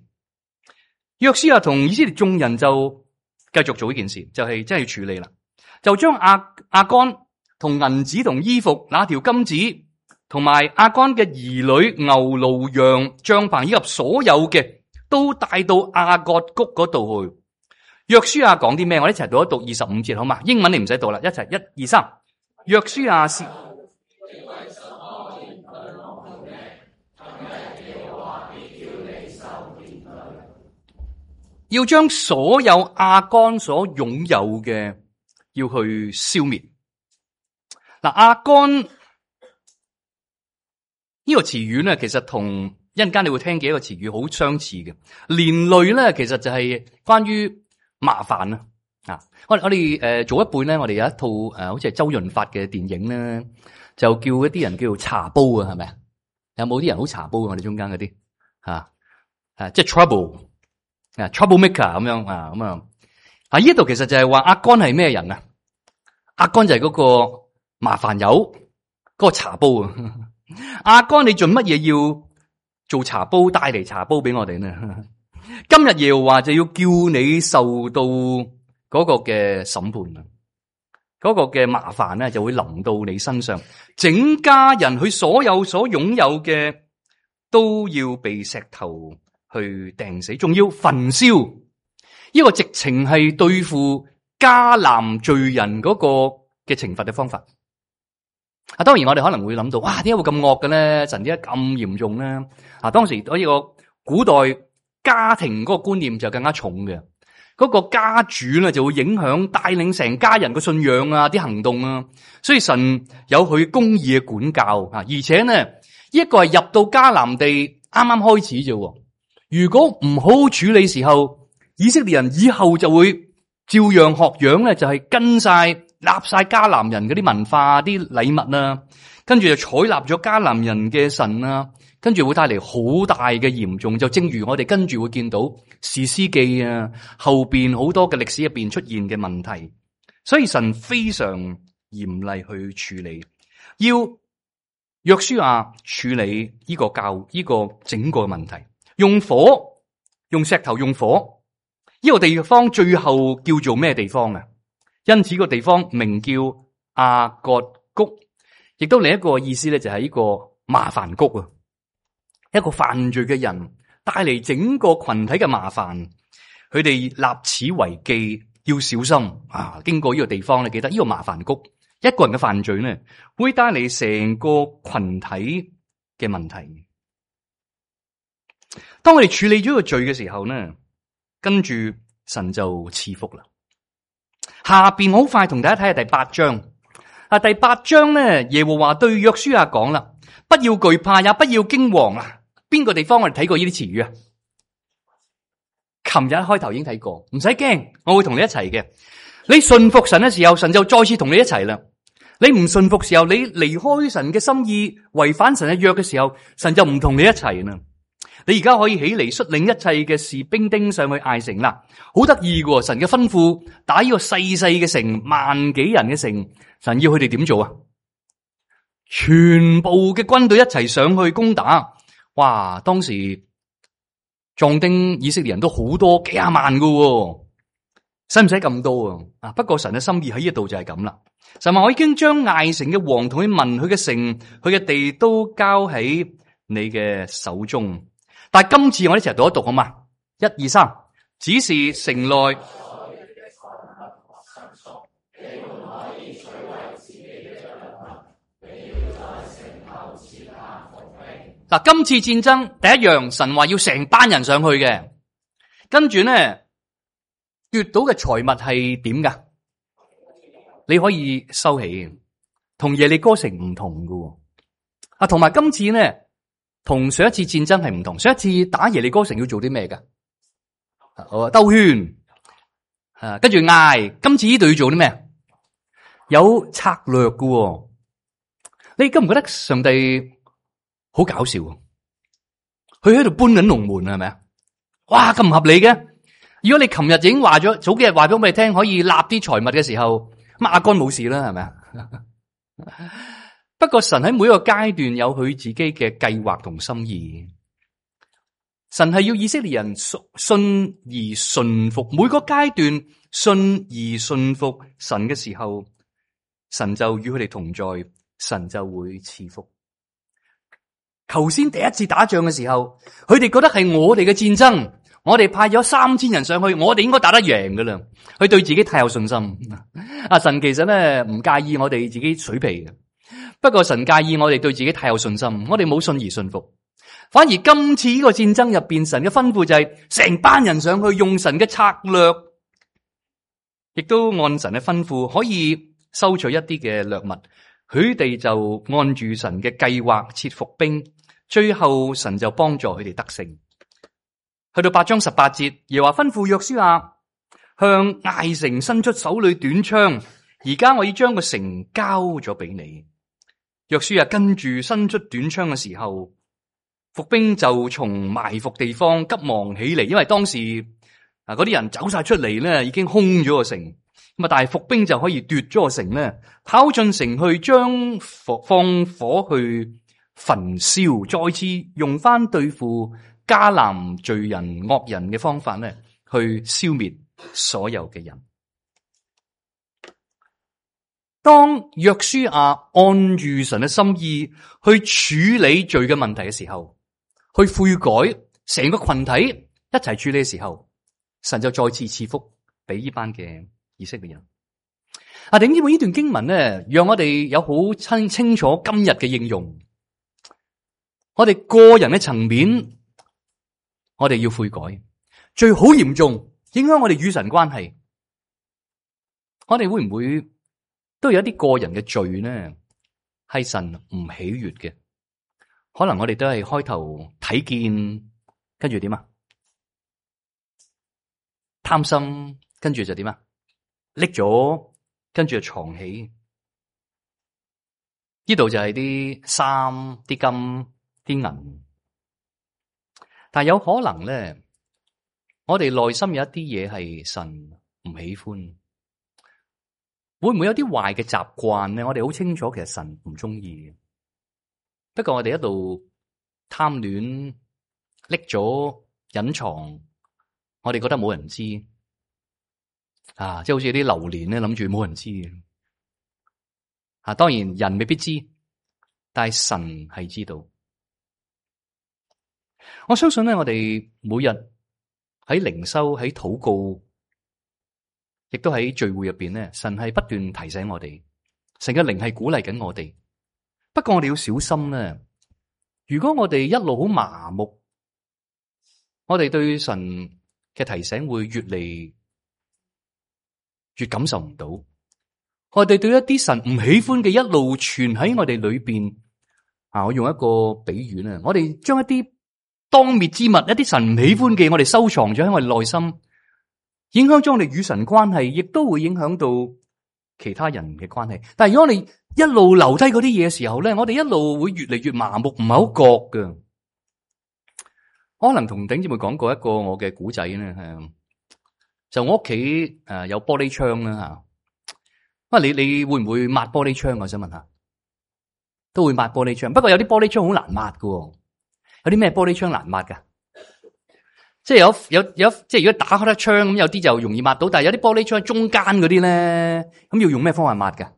約書亞同以色列眾人就繼續做呢件事，就係真係要處理啦。就將亞干同銀子同衣服，那條金子，同埋亞干嘅兒女、牛、驢、羊、帳篷以及所有嘅，都帶到亞割谷嗰度去。約書亞講啲咩？我哋一齊讀一讀25節好嘛？英文你唔使讀啦，一齊1、2、3。約書亞是要將所有亞干所擁有嘅要去消滅。嗱，亞干呢個詞語咧，其實同一陣間你會聽嘅一個詞語好相似嘅，連累咧，其實就係關於麻煩啊。我哋早一輩咧，我哋有一套好似係周潤發嘅電影咧，就叫一啲人叫做茶煲啊，係咪啊？有冇啲人好茶煲啊？我哋中間嗰啲即係 trouble maker 咁樣咁啊！呢度其實就係話阿干係咩人啊？阿干就係嗰個麻煩友，嗰個茶煲啊！阿干，你做乜嘢要做茶煲，帶嚟茶煲俾我哋呢？今日耶和華就要叫你受到嗰個嘅審判啊！嗰個嘅麻煩咧就會臨到你身上，整家人佢所有所擁有嘅都要被石頭去掟死，仲要焚燒。呢個直情係對付迦南罪人嗰個嘅懲罰嘅方法。當然我哋可能會諗到，哇，點解會咁惡嘅咧？神點解咁嚴重咧？當時呢個古代家庭嗰個觀念就更加重嘅。嗰個家主咧就會影響帶領成家人嘅信仰啊，啲行動啊，所以神有佢公義嘅管教啊，而且呢一個係入到迦南地啱啱開始啫，如果唔好好處理時候，以色列人以後就會照樣學樣咧，就係跟晒立晒迦南人嗰啲文化、啲禮物啊，跟住就採納咗迦南人嘅神啊。跟住會帶嚟好大嘅嚴重，就正如我哋跟住會見到士師記啊，後邊好多嘅歷史入邊出現嘅問題，所以神非常嚴厲去處理，要約書亞處理呢個呢個整個問題，用火、用石頭、用火，呢個地方最後叫做咩地方啊？因此個地方名叫亞割谷，亦都另一個意思咧，就係呢個麻煩谷啊。一個犯罪嘅人帶嚟整個群體嘅麻煩，佢哋立此為記，要小心啊！經過呢個地方咧，記得呢個麻煩谷，一個人嘅犯罪咧，會帶嚟成個群體嘅問題。當我哋處理咗個罪嘅時候呢，跟住神就賜福啦。下邊好快同大家睇下第8章。第8章咧，耶和華對約書亞講啦，不要懼怕，也不要驚惶啊！邊個地方我哋睇過呢啲詞語啊？琴日開頭已經睇過，唔使驚，我會同你一齊嘅。你信服神嘅時候，神就再次同你一齊啦。你唔信服時候，你離開神嘅心意，違反神嘅約嘅時候，神就唔同你一齊啦。你而家可以起嚟率領一切嘅士兵丁上去艾城啦，好得意嘅。神嘅吩咐打呢個細細嘅城，萬幾人嘅城，神要佢哋點做啊？全部嘅軍隊一齊上去攻打。哇！當時壯丁以色列人都好多，幾廿萬噶，使唔使咁多啊？不過神嘅心意喺呢度就係咁啦。神話我已經將艾城嘅王同佢民、佢嘅城、佢嘅地都交喺你嘅手中。但係今次我哋一齊讀一讀好嘛？1、2、3，只是城內。嗱，今次戰爭第一樣，神話要成班人上去嘅，跟住咧奪到嘅財物係點噶？你可以收起，同耶利哥城唔同噶。同埋今次咧，同上一次戰爭係唔同。上一次打耶利哥城要做啲咩噶？兜圈，跟住嗌。今次呢度要做啲咩？有策略噶。你覺唔覺得上帝好搞笑？佢喺度搬緊龍門係咪啊？哇，咁唔合理嘅！如果你琴日已經話咗，早幾日話咗俾你聽，可以立啲財物嘅時候，咁亞干冇事啦，係咪啊？不過神喺每一個階段有佢自己嘅計劃同心意。神係要以色列人信而順服，每個階段信而順服神嘅時候，神就與佢哋同在，神就會賜福。頭先第一次打仗嘅時候，佢哋覺得係我哋嘅戰爭，我哋派咗3000人上去，我哋應該打得贏噶啦。佢對自己太有信心。神其實咧唔介意我哋自己水皮嘅，不過神介意我哋對自己太有信心，我哋冇信而信服。反而今次呢個戰爭入邊，神嘅吩咐就係成班人上去，用神嘅策略，亦都按神嘅吩咐可以收取一啲嘅掠物。佢哋就按住神嘅計劃設伏兵，最後神就幫助佢哋得勝。去到8章18節，耶和華吩咐約書亞向艾城伸出手裏短槍，而家我要將個城交咗俾你。約書亞跟住伸出短槍嘅時候，伏兵就從埋伏地方急忙起嚟，因為當時嗰啲人走晒出嚟咧，已經空咗個城。咁啊，但係伏兵就可以奪咗個城咧，跑進城去將放火去焚燒，再次用翻對付迦南罪人惡人嘅方法咧，去消滅所有嘅人。當約書亞按住神嘅心意去處理罪嘅問題嘅時候，去悔改，成個群體一齊處理嘅時候，神就再次賜福俾呢班嘅以色列人。弟兄姊妹，呢段經文咧，讓我哋有好清楚今日嘅應用。我哋個人嘅層面，我哋要悔改，罪好嚴重，影響我哋與神關係。我哋會唔會都有一啲個人嘅罪呢？係神唔喜悅嘅？可能我哋都係開頭睇見，跟住點啊？貪心，跟住就點啊？拎咗，跟住就藏起。呢度就係啲衫、啲金、啲銀。但係有可能咧，我哋內心有一啲嘢係神唔喜歡。會唔會有啲壞嘅習慣咧？我哋好清楚，其實神唔中意嘅。不過我哋一路貪戀，拎咗隱藏，我哋覺得冇人知啊！即係好似啲流年咧，諗住冇人知嘅啊。當然人未必知，但係神係知道。我相信咧，我哋每日喺靈修、喺禱告，亦都喺聚會入邊咧，神係不斷提醒我哋，神嘅靈係鼓勵緊我哋。不過我哋要小心咧，如果我哋一路好麻木，我哋對神嘅提醒會越嚟越感受唔到。我哋對一啲神唔喜歡嘅一路存喺我哋裏邊啊！我用一個比喻咧，我哋將一啲當滅之物，一啲神唔喜歡嘅，我哋收藏咗喺我哋內心，影響咗我哋與神關係，亦都會影響到其他人嘅關係。但係如果我哋一路留低嗰啲嘢嘅時候咧，我哋一路會越嚟越麻木，唔係好覺㗎。我可能同頂姊妹講過一個我嘅古仔咧，係就我屋企有玻璃窗啦吓。你會唔會抹玻璃窗？我想問下，都會抹玻璃窗。不過有啲玻璃窗好難抹㗎，有啲咩玻璃窗難抹㗎？即係有，即係如果打開得窗咁，有啲就容易抹到，但係有啲玻璃窗中間嗰啲咧，咁要用咩方法抹㗎？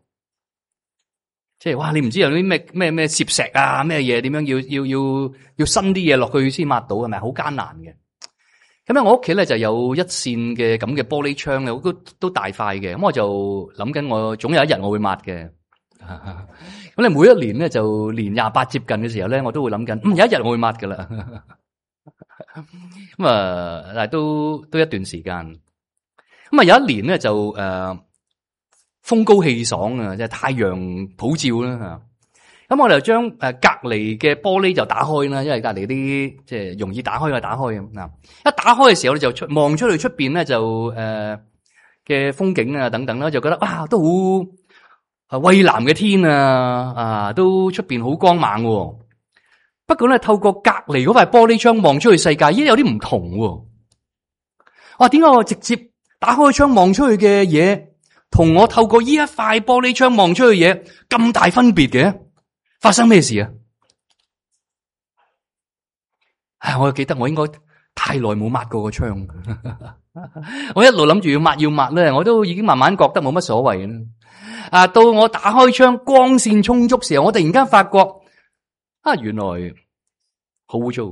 即係哇，你唔知有啲咩攝石啊，咩嘢點樣要伸啲嘢落去先抹到，係咪好艱難嘅？咁咧，我屋企咧就有一扇嘅咁嘅玻璃窗咧，都大塊嘅。咁我就諗緊，我總有一日我會抹嘅。咁你每一年咧就年28接近嘅時候咧，我都會諗緊，有一日我會抹噶啦。咁但係都一段時間。咁有一年咧就風高氣爽啊，即係太陽普照啦吓。咁我哋就將隔籬嘅玻璃就打開啦，因為隔籬啲即係容易打開就打開咁嗱。一打開嘅時候咧，就望出去出邊咧就嘅風景啊等等啦，就覺得哇都好蔚藍嘅天啊，都出邊好光猛喎。不過咧，透過隔籬嗰塊玻璃窗望出去世界，咦有啲唔同喎。哇，點解我直接打開窗望出去嘅嘢，同我透過呢一塊玻璃窗望出去嘅嘢咁大分別嘅？發生咩事啊？我又記得我應該太耐冇抹過個窗，我一路諗住要抹咧，我都已經慢慢覺得冇乜所謂啦。到我打開窗，光線充足時候，我突然間發覺原來好污糟。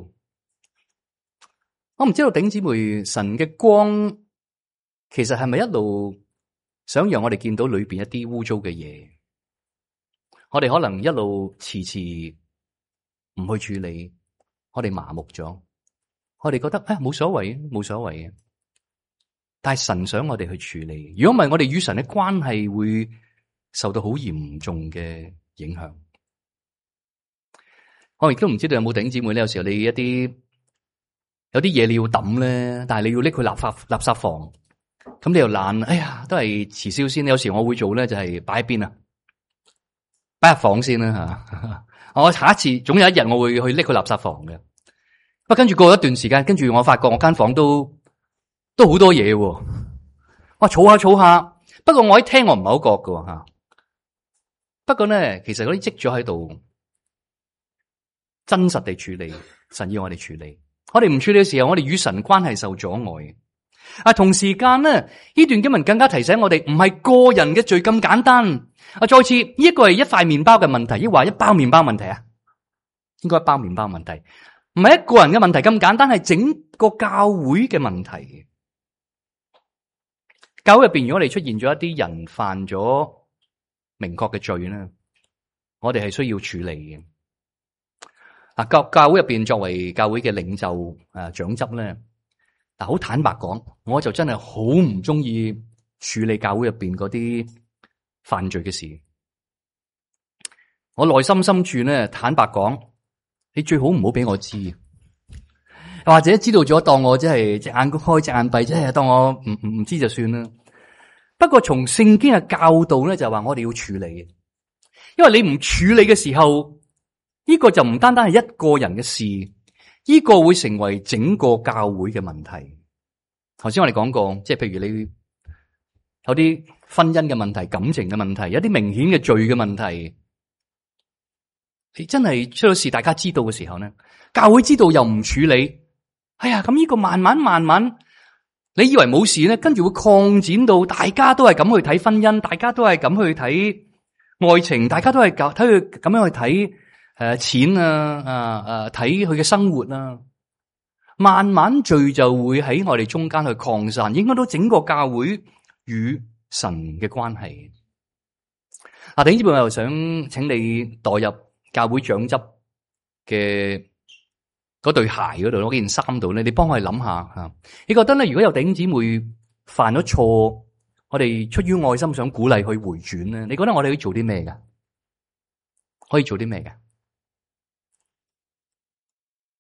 我唔知道頂姊妹，神嘅光其實係咪一路想讓我哋見到裏邊一啲污糟嘅嘢？我哋可能一路遲遲唔去處理，我哋麻木咗，我哋覺得冇所謂，冇所謂嘅。但係神想我哋去處理，如果唔係，我哋與神嘅關係會受到好嚴重嘅影響。我亦都唔知道有冇弟兄姊妹咧，有時候你有啲嘢你要抌咧，但係你要拎去垃圾房，咁你又懶，哎呀，都係遲燒先。有時我會做咧，就係擺喺邊啊，擺入房先啦吓。我下一次總有一日我會去拎去垃圾房嘅。不過跟住過一段時間，跟住我發覺我間房都好多嘢，我儲下儲下。不過我一聽我唔係好覺㗎吓。不過咧，其實嗰啲積咗喺度，真實地處理，神要我哋處理。我哋唔處理嘅時候，我哋與神關係受阻礙。同時間咧，呢段經文更加提醒我哋，唔係個人嘅罪咁簡單。再次，呢一個係一塊麵包嘅問題，抑或一包麵包問題啊？應該一包麵包問題，唔係一個人嘅問題咁簡單，係整個教會嘅問題。教會入邊，如果我哋出現咗一啲人犯咗明確嘅罪咧，我哋係需要處理嘅。教會入邊作為教會嘅領袖長執咧，好坦白講，我就真係好唔中意處理教會入邊嗰啲犯罪嘅事。我內心深處咧，坦白講，你最好唔好俾我知，或者知道咗當我即係隻眼開隻眼閉，即係當我唔知就算啦。不過從聖經嘅教導咧，就話我哋要處理，因為你唔處理嘅時候，呢個就唔單單係一個人嘅事，呢個會成為整個教會嘅問題。頭先我哋講過，即係譬如你有啲婚姻嘅問題、感情嘅問題，有啲明顯嘅罪嘅問題，你真係出咗事，大家知道嘅時候咧，教會知道又唔處理，哎呀，咁呢個慢慢。你以為冇事咧，跟住會擴展到大家都係咁去睇婚姻，大家都係咁去睇愛情，大家都係睇佢咁樣去睇錢啊，睇佢嘅生活啊，慢慢罪就會喺我哋中間去擴散，影響到整個教會與神嘅關係。弟兄姊妹，我又想請你代入教會長執嘅嗰對鞋嗰度，嗰件衫度咧，你幫我哋諗下吓。你覺得咧，如果有弟兄姊妹犯咗錯，我哋出於愛心想鼓勵佢回轉咧，你覺得我哋可以做啲咩㗎？可以做啲咩㗎？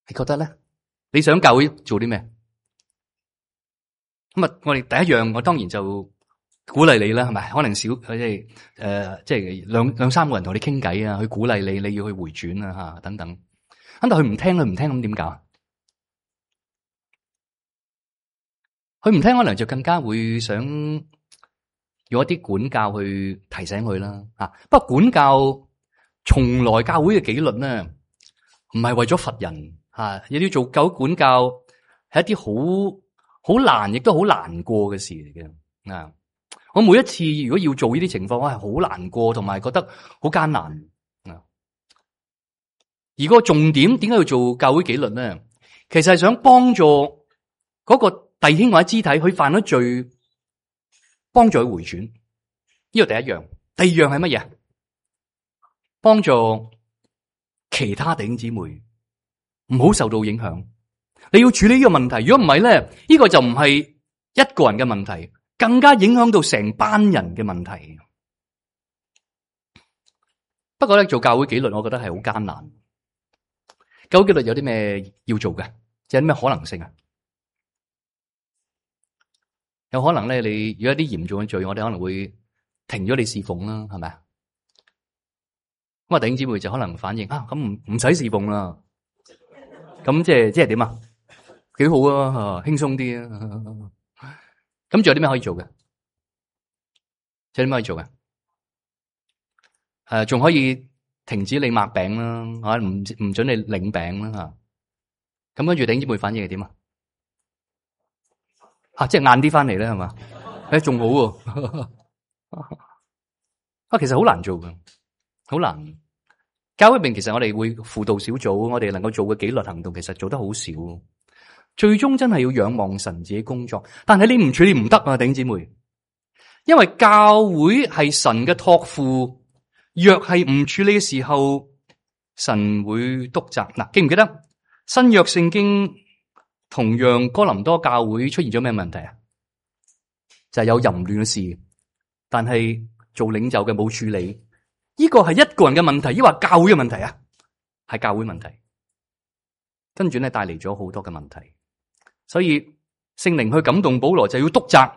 你覺得咧？你想教會做啲咩？咁啊，我哋第一樣，我當然就鼓勵你啦，係咪？可能少即係兩三個人同你傾偈啊，去鼓勵你，你要去回轉啊，吓等等。咁但佢唔聽，咁點搞？佢唔聽，可能就更加會想用一啲管教去提醒佢啦。不過管教從來教會嘅紀律咧，唔係為咗罰人亦要做教會管教，係一啲好難，亦都好難過嘅事嚟嘅。我每一次如果要做呢啲情況，我係好難過，同埋覺得好艱難。而個重點點解要做教會紀律咧？其實係想幫助嗰個弟兄或者肢體，佢犯咗罪，幫助佢回轉。呢個第一樣。第二樣係乜嘢？幫助其他弟兄姊妹唔好受到影響。你要處理呢個問題，如果唔係咧，呢個就唔係一個人嘅問題，更加影響到成班人嘅問題。不過咧，做教會紀律，我覺得係好艱難。教會紀律有啲咩要做嘅？有啲咩可能性啊？有可能咧，你如果一啲嚴重嘅罪，我哋可能會停咗你侍奉啦，係咪啊？咁弟兄姊妹就可能反應咁唔使侍奉啦。咁即係點啊？幾好啊，輕鬆啲啊。咁仲有啲咩可以做嘅？仲有啲咩可以做嘅？仲可以停止你擘餅啦，唔准你領餅啦吓。咁跟住弟兄姊妹反應係點啊？即係晏啲翻嚟咧，係嘛？仲好喎。其實好難做㗎，好難。教會入邊其實我哋會輔導小組，我哋能夠做嘅紀律行動，其實做得好少。最終真係要仰望神自己工作，但係你唔處理唔得啊，弟兄姊妹。因為教會係神嘅託付，若係唔處理嘅時候，神會督責。記唔記得新約聖經同樣哥林多教會出現咗咩問題啊？就係有淫亂嘅事，但係做領袖嘅冇處理。呢個係一個人嘅問題，抑或教會嘅問題啊？係教會問題。跟住咧帶嚟咗好多嘅問題。所以聖靈去感動保羅，就要督責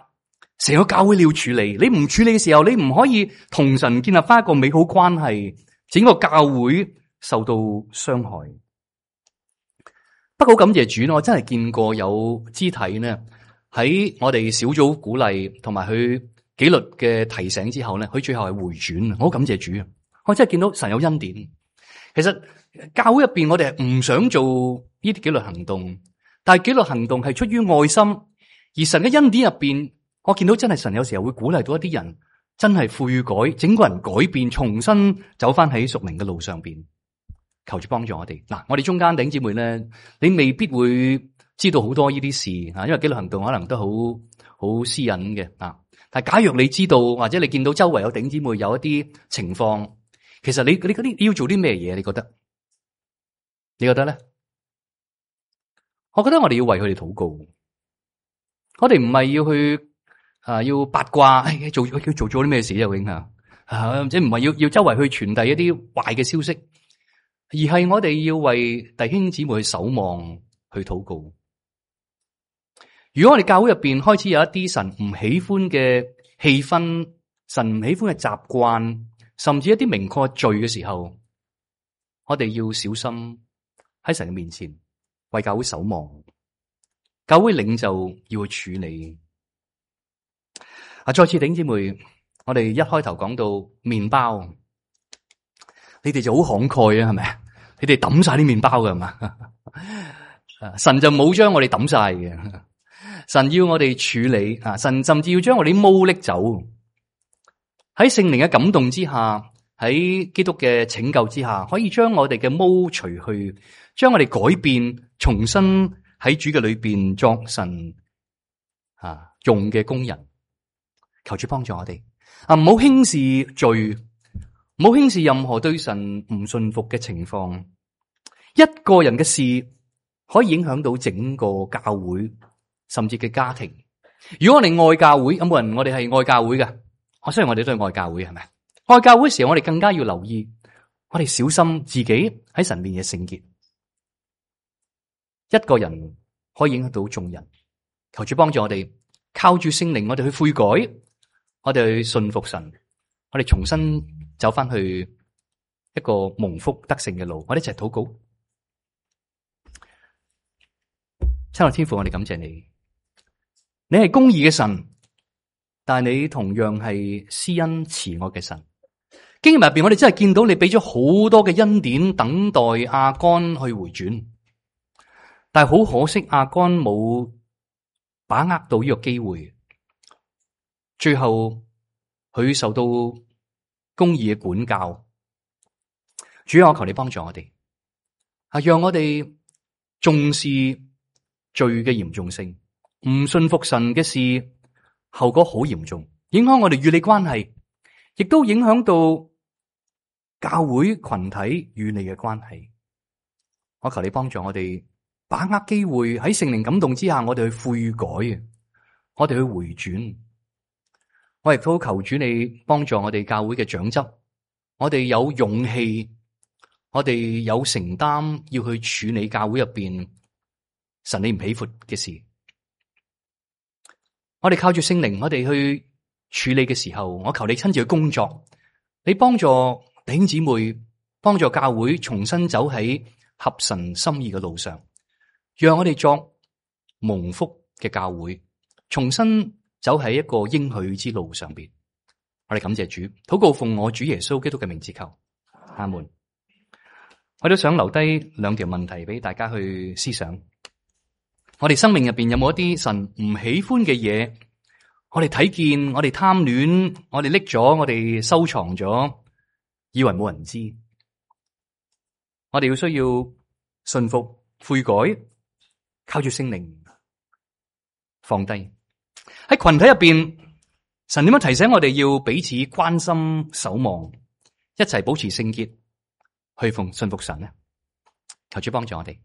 成個教會你要處理，你唔處理嘅時候，你唔可以同神建立翻一個美好關係，整個教會受到傷害。不過感謝主，我真係見過有肢體呢，喺我哋小組鼓勵同埋佢紀律嘅提醒之後咧，佢最後係回轉。我好感謝主啊！我真係見到神有恩典。其實教會入邊，我哋係唔想做呢啲紀律行動，但係紀律行動係出於愛心，而神嘅恩典入邊，我見到真係神有時候會鼓勵到一啲人真係悔改，整個人改變，重新走翻喺屬靈嘅路上邊。求主幫助我哋。嗱，我哋中間弟兄姊妹咧，你未必會知道好多呢啲事啊，因為紀律行動可能都好私隱嘅啊。但係假若你知道，或者你見到周圍有弟兄姊妹有一啲情況，其實你嗰啲要做啲咩嘢？你覺得？你覺得咧？我覺得我哋要為佢哋禱告。我哋唔係要去要八卦，做咗啲咩事啊？永或者唔係要周圍去傳遞一啲壞嘅消息，而係我哋要為弟兄姊妹去守望，去禱告。如果我哋教會入邊開始有一啲神唔喜歡嘅氣氛，神唔喜歡嘅習慣，甚至一啲明確嘅罪嘅時候，我哋要小心喺神嘅面前為教會守望。教會領袖要去處理。再次弟兄姊妹，我哋一開頭講到麵包，你哋就好慷慨啊，係咪？你哋抌晒啲麵包㗎係嘛？神就冇將我哋抌晒嘅。神要我哋處理啊！神甚至要將我哋啲毛拎走。喺聖靈嘅感動之下，喺基督嘅拯救之下，可以將我哋嘅毛除去，將我哋改變，重新喺主嘅裏邊作神用嘅工人。求主幫助我哋啊！唔好輕視罪，唔好輕視任何對神唔信服嘅情況。一個人嘅事可以影響到整個教會，甚至嘅家庭。如果我哋愛教會，有冇人我哋係愛教會嘅？我相信我哋都係愛教會，係咪？愛教會嘅時候，我哋更加要留意，我哋小心自己喺神面嘅聖潔。一個人可以影響到眾人。求主幫助我哋，靠住聖靈，我哋去悔改，我哋去信服神，我哋重新走翻去一個蒙福得勝嘅路。我哋一齊禱告。親愛天父，我哋感謝你。你係公義嘅神，但係你同樣係施恩慈愛嘅神。經文入邊，我哋真係見到你俾咗好多嘅恩典，等待亞干去回轉。但係好可惜，亞干冇把握到呢個機會，最後佢受到公義嘅管教。主啊，我求你幫助我哋，讓我哋重視罪嘅嚴重性。唔信服神嘅事，後果好嚴重，影響我哋與你關係，亦都影響到教會群體與你嘅關係。我求你幫助我哋，把握機會，喺聖靈感動之下，我哋去悔改，我哋去回轉。我亦都求主你幫助我哋教會嘅長執，我哋有勇氣，我哋有承擔，要去處理教會入邊神你唔喜歡嘅事。我哋靠住聖靈，我哋去處理嘅時候，我求你親自去工作，你幫助弟兄姊妹，幫助教會重新走喺合神心意嘅路上，讓我哋作蒙福嘅教會，重新走喺一個應許之路上邊。我哋感謝主，禱告奉我主耶穌基督嘅名字求，阿門。我都想留低兩條問題俾大家去思想。我哋生命入邊有冇一啲神唔喜歡嘅嘢？我哋睇見，我哋貪戀，我哋拎咗，我哋收藏咗，以為冇人知。我哋要需要信服、悔改，靠住聖靈放低。喺群體入邊，神點樣提醒我哋要彼此關心、守望，一齊保持聖潔，去信服神呢？求主幫助我哋。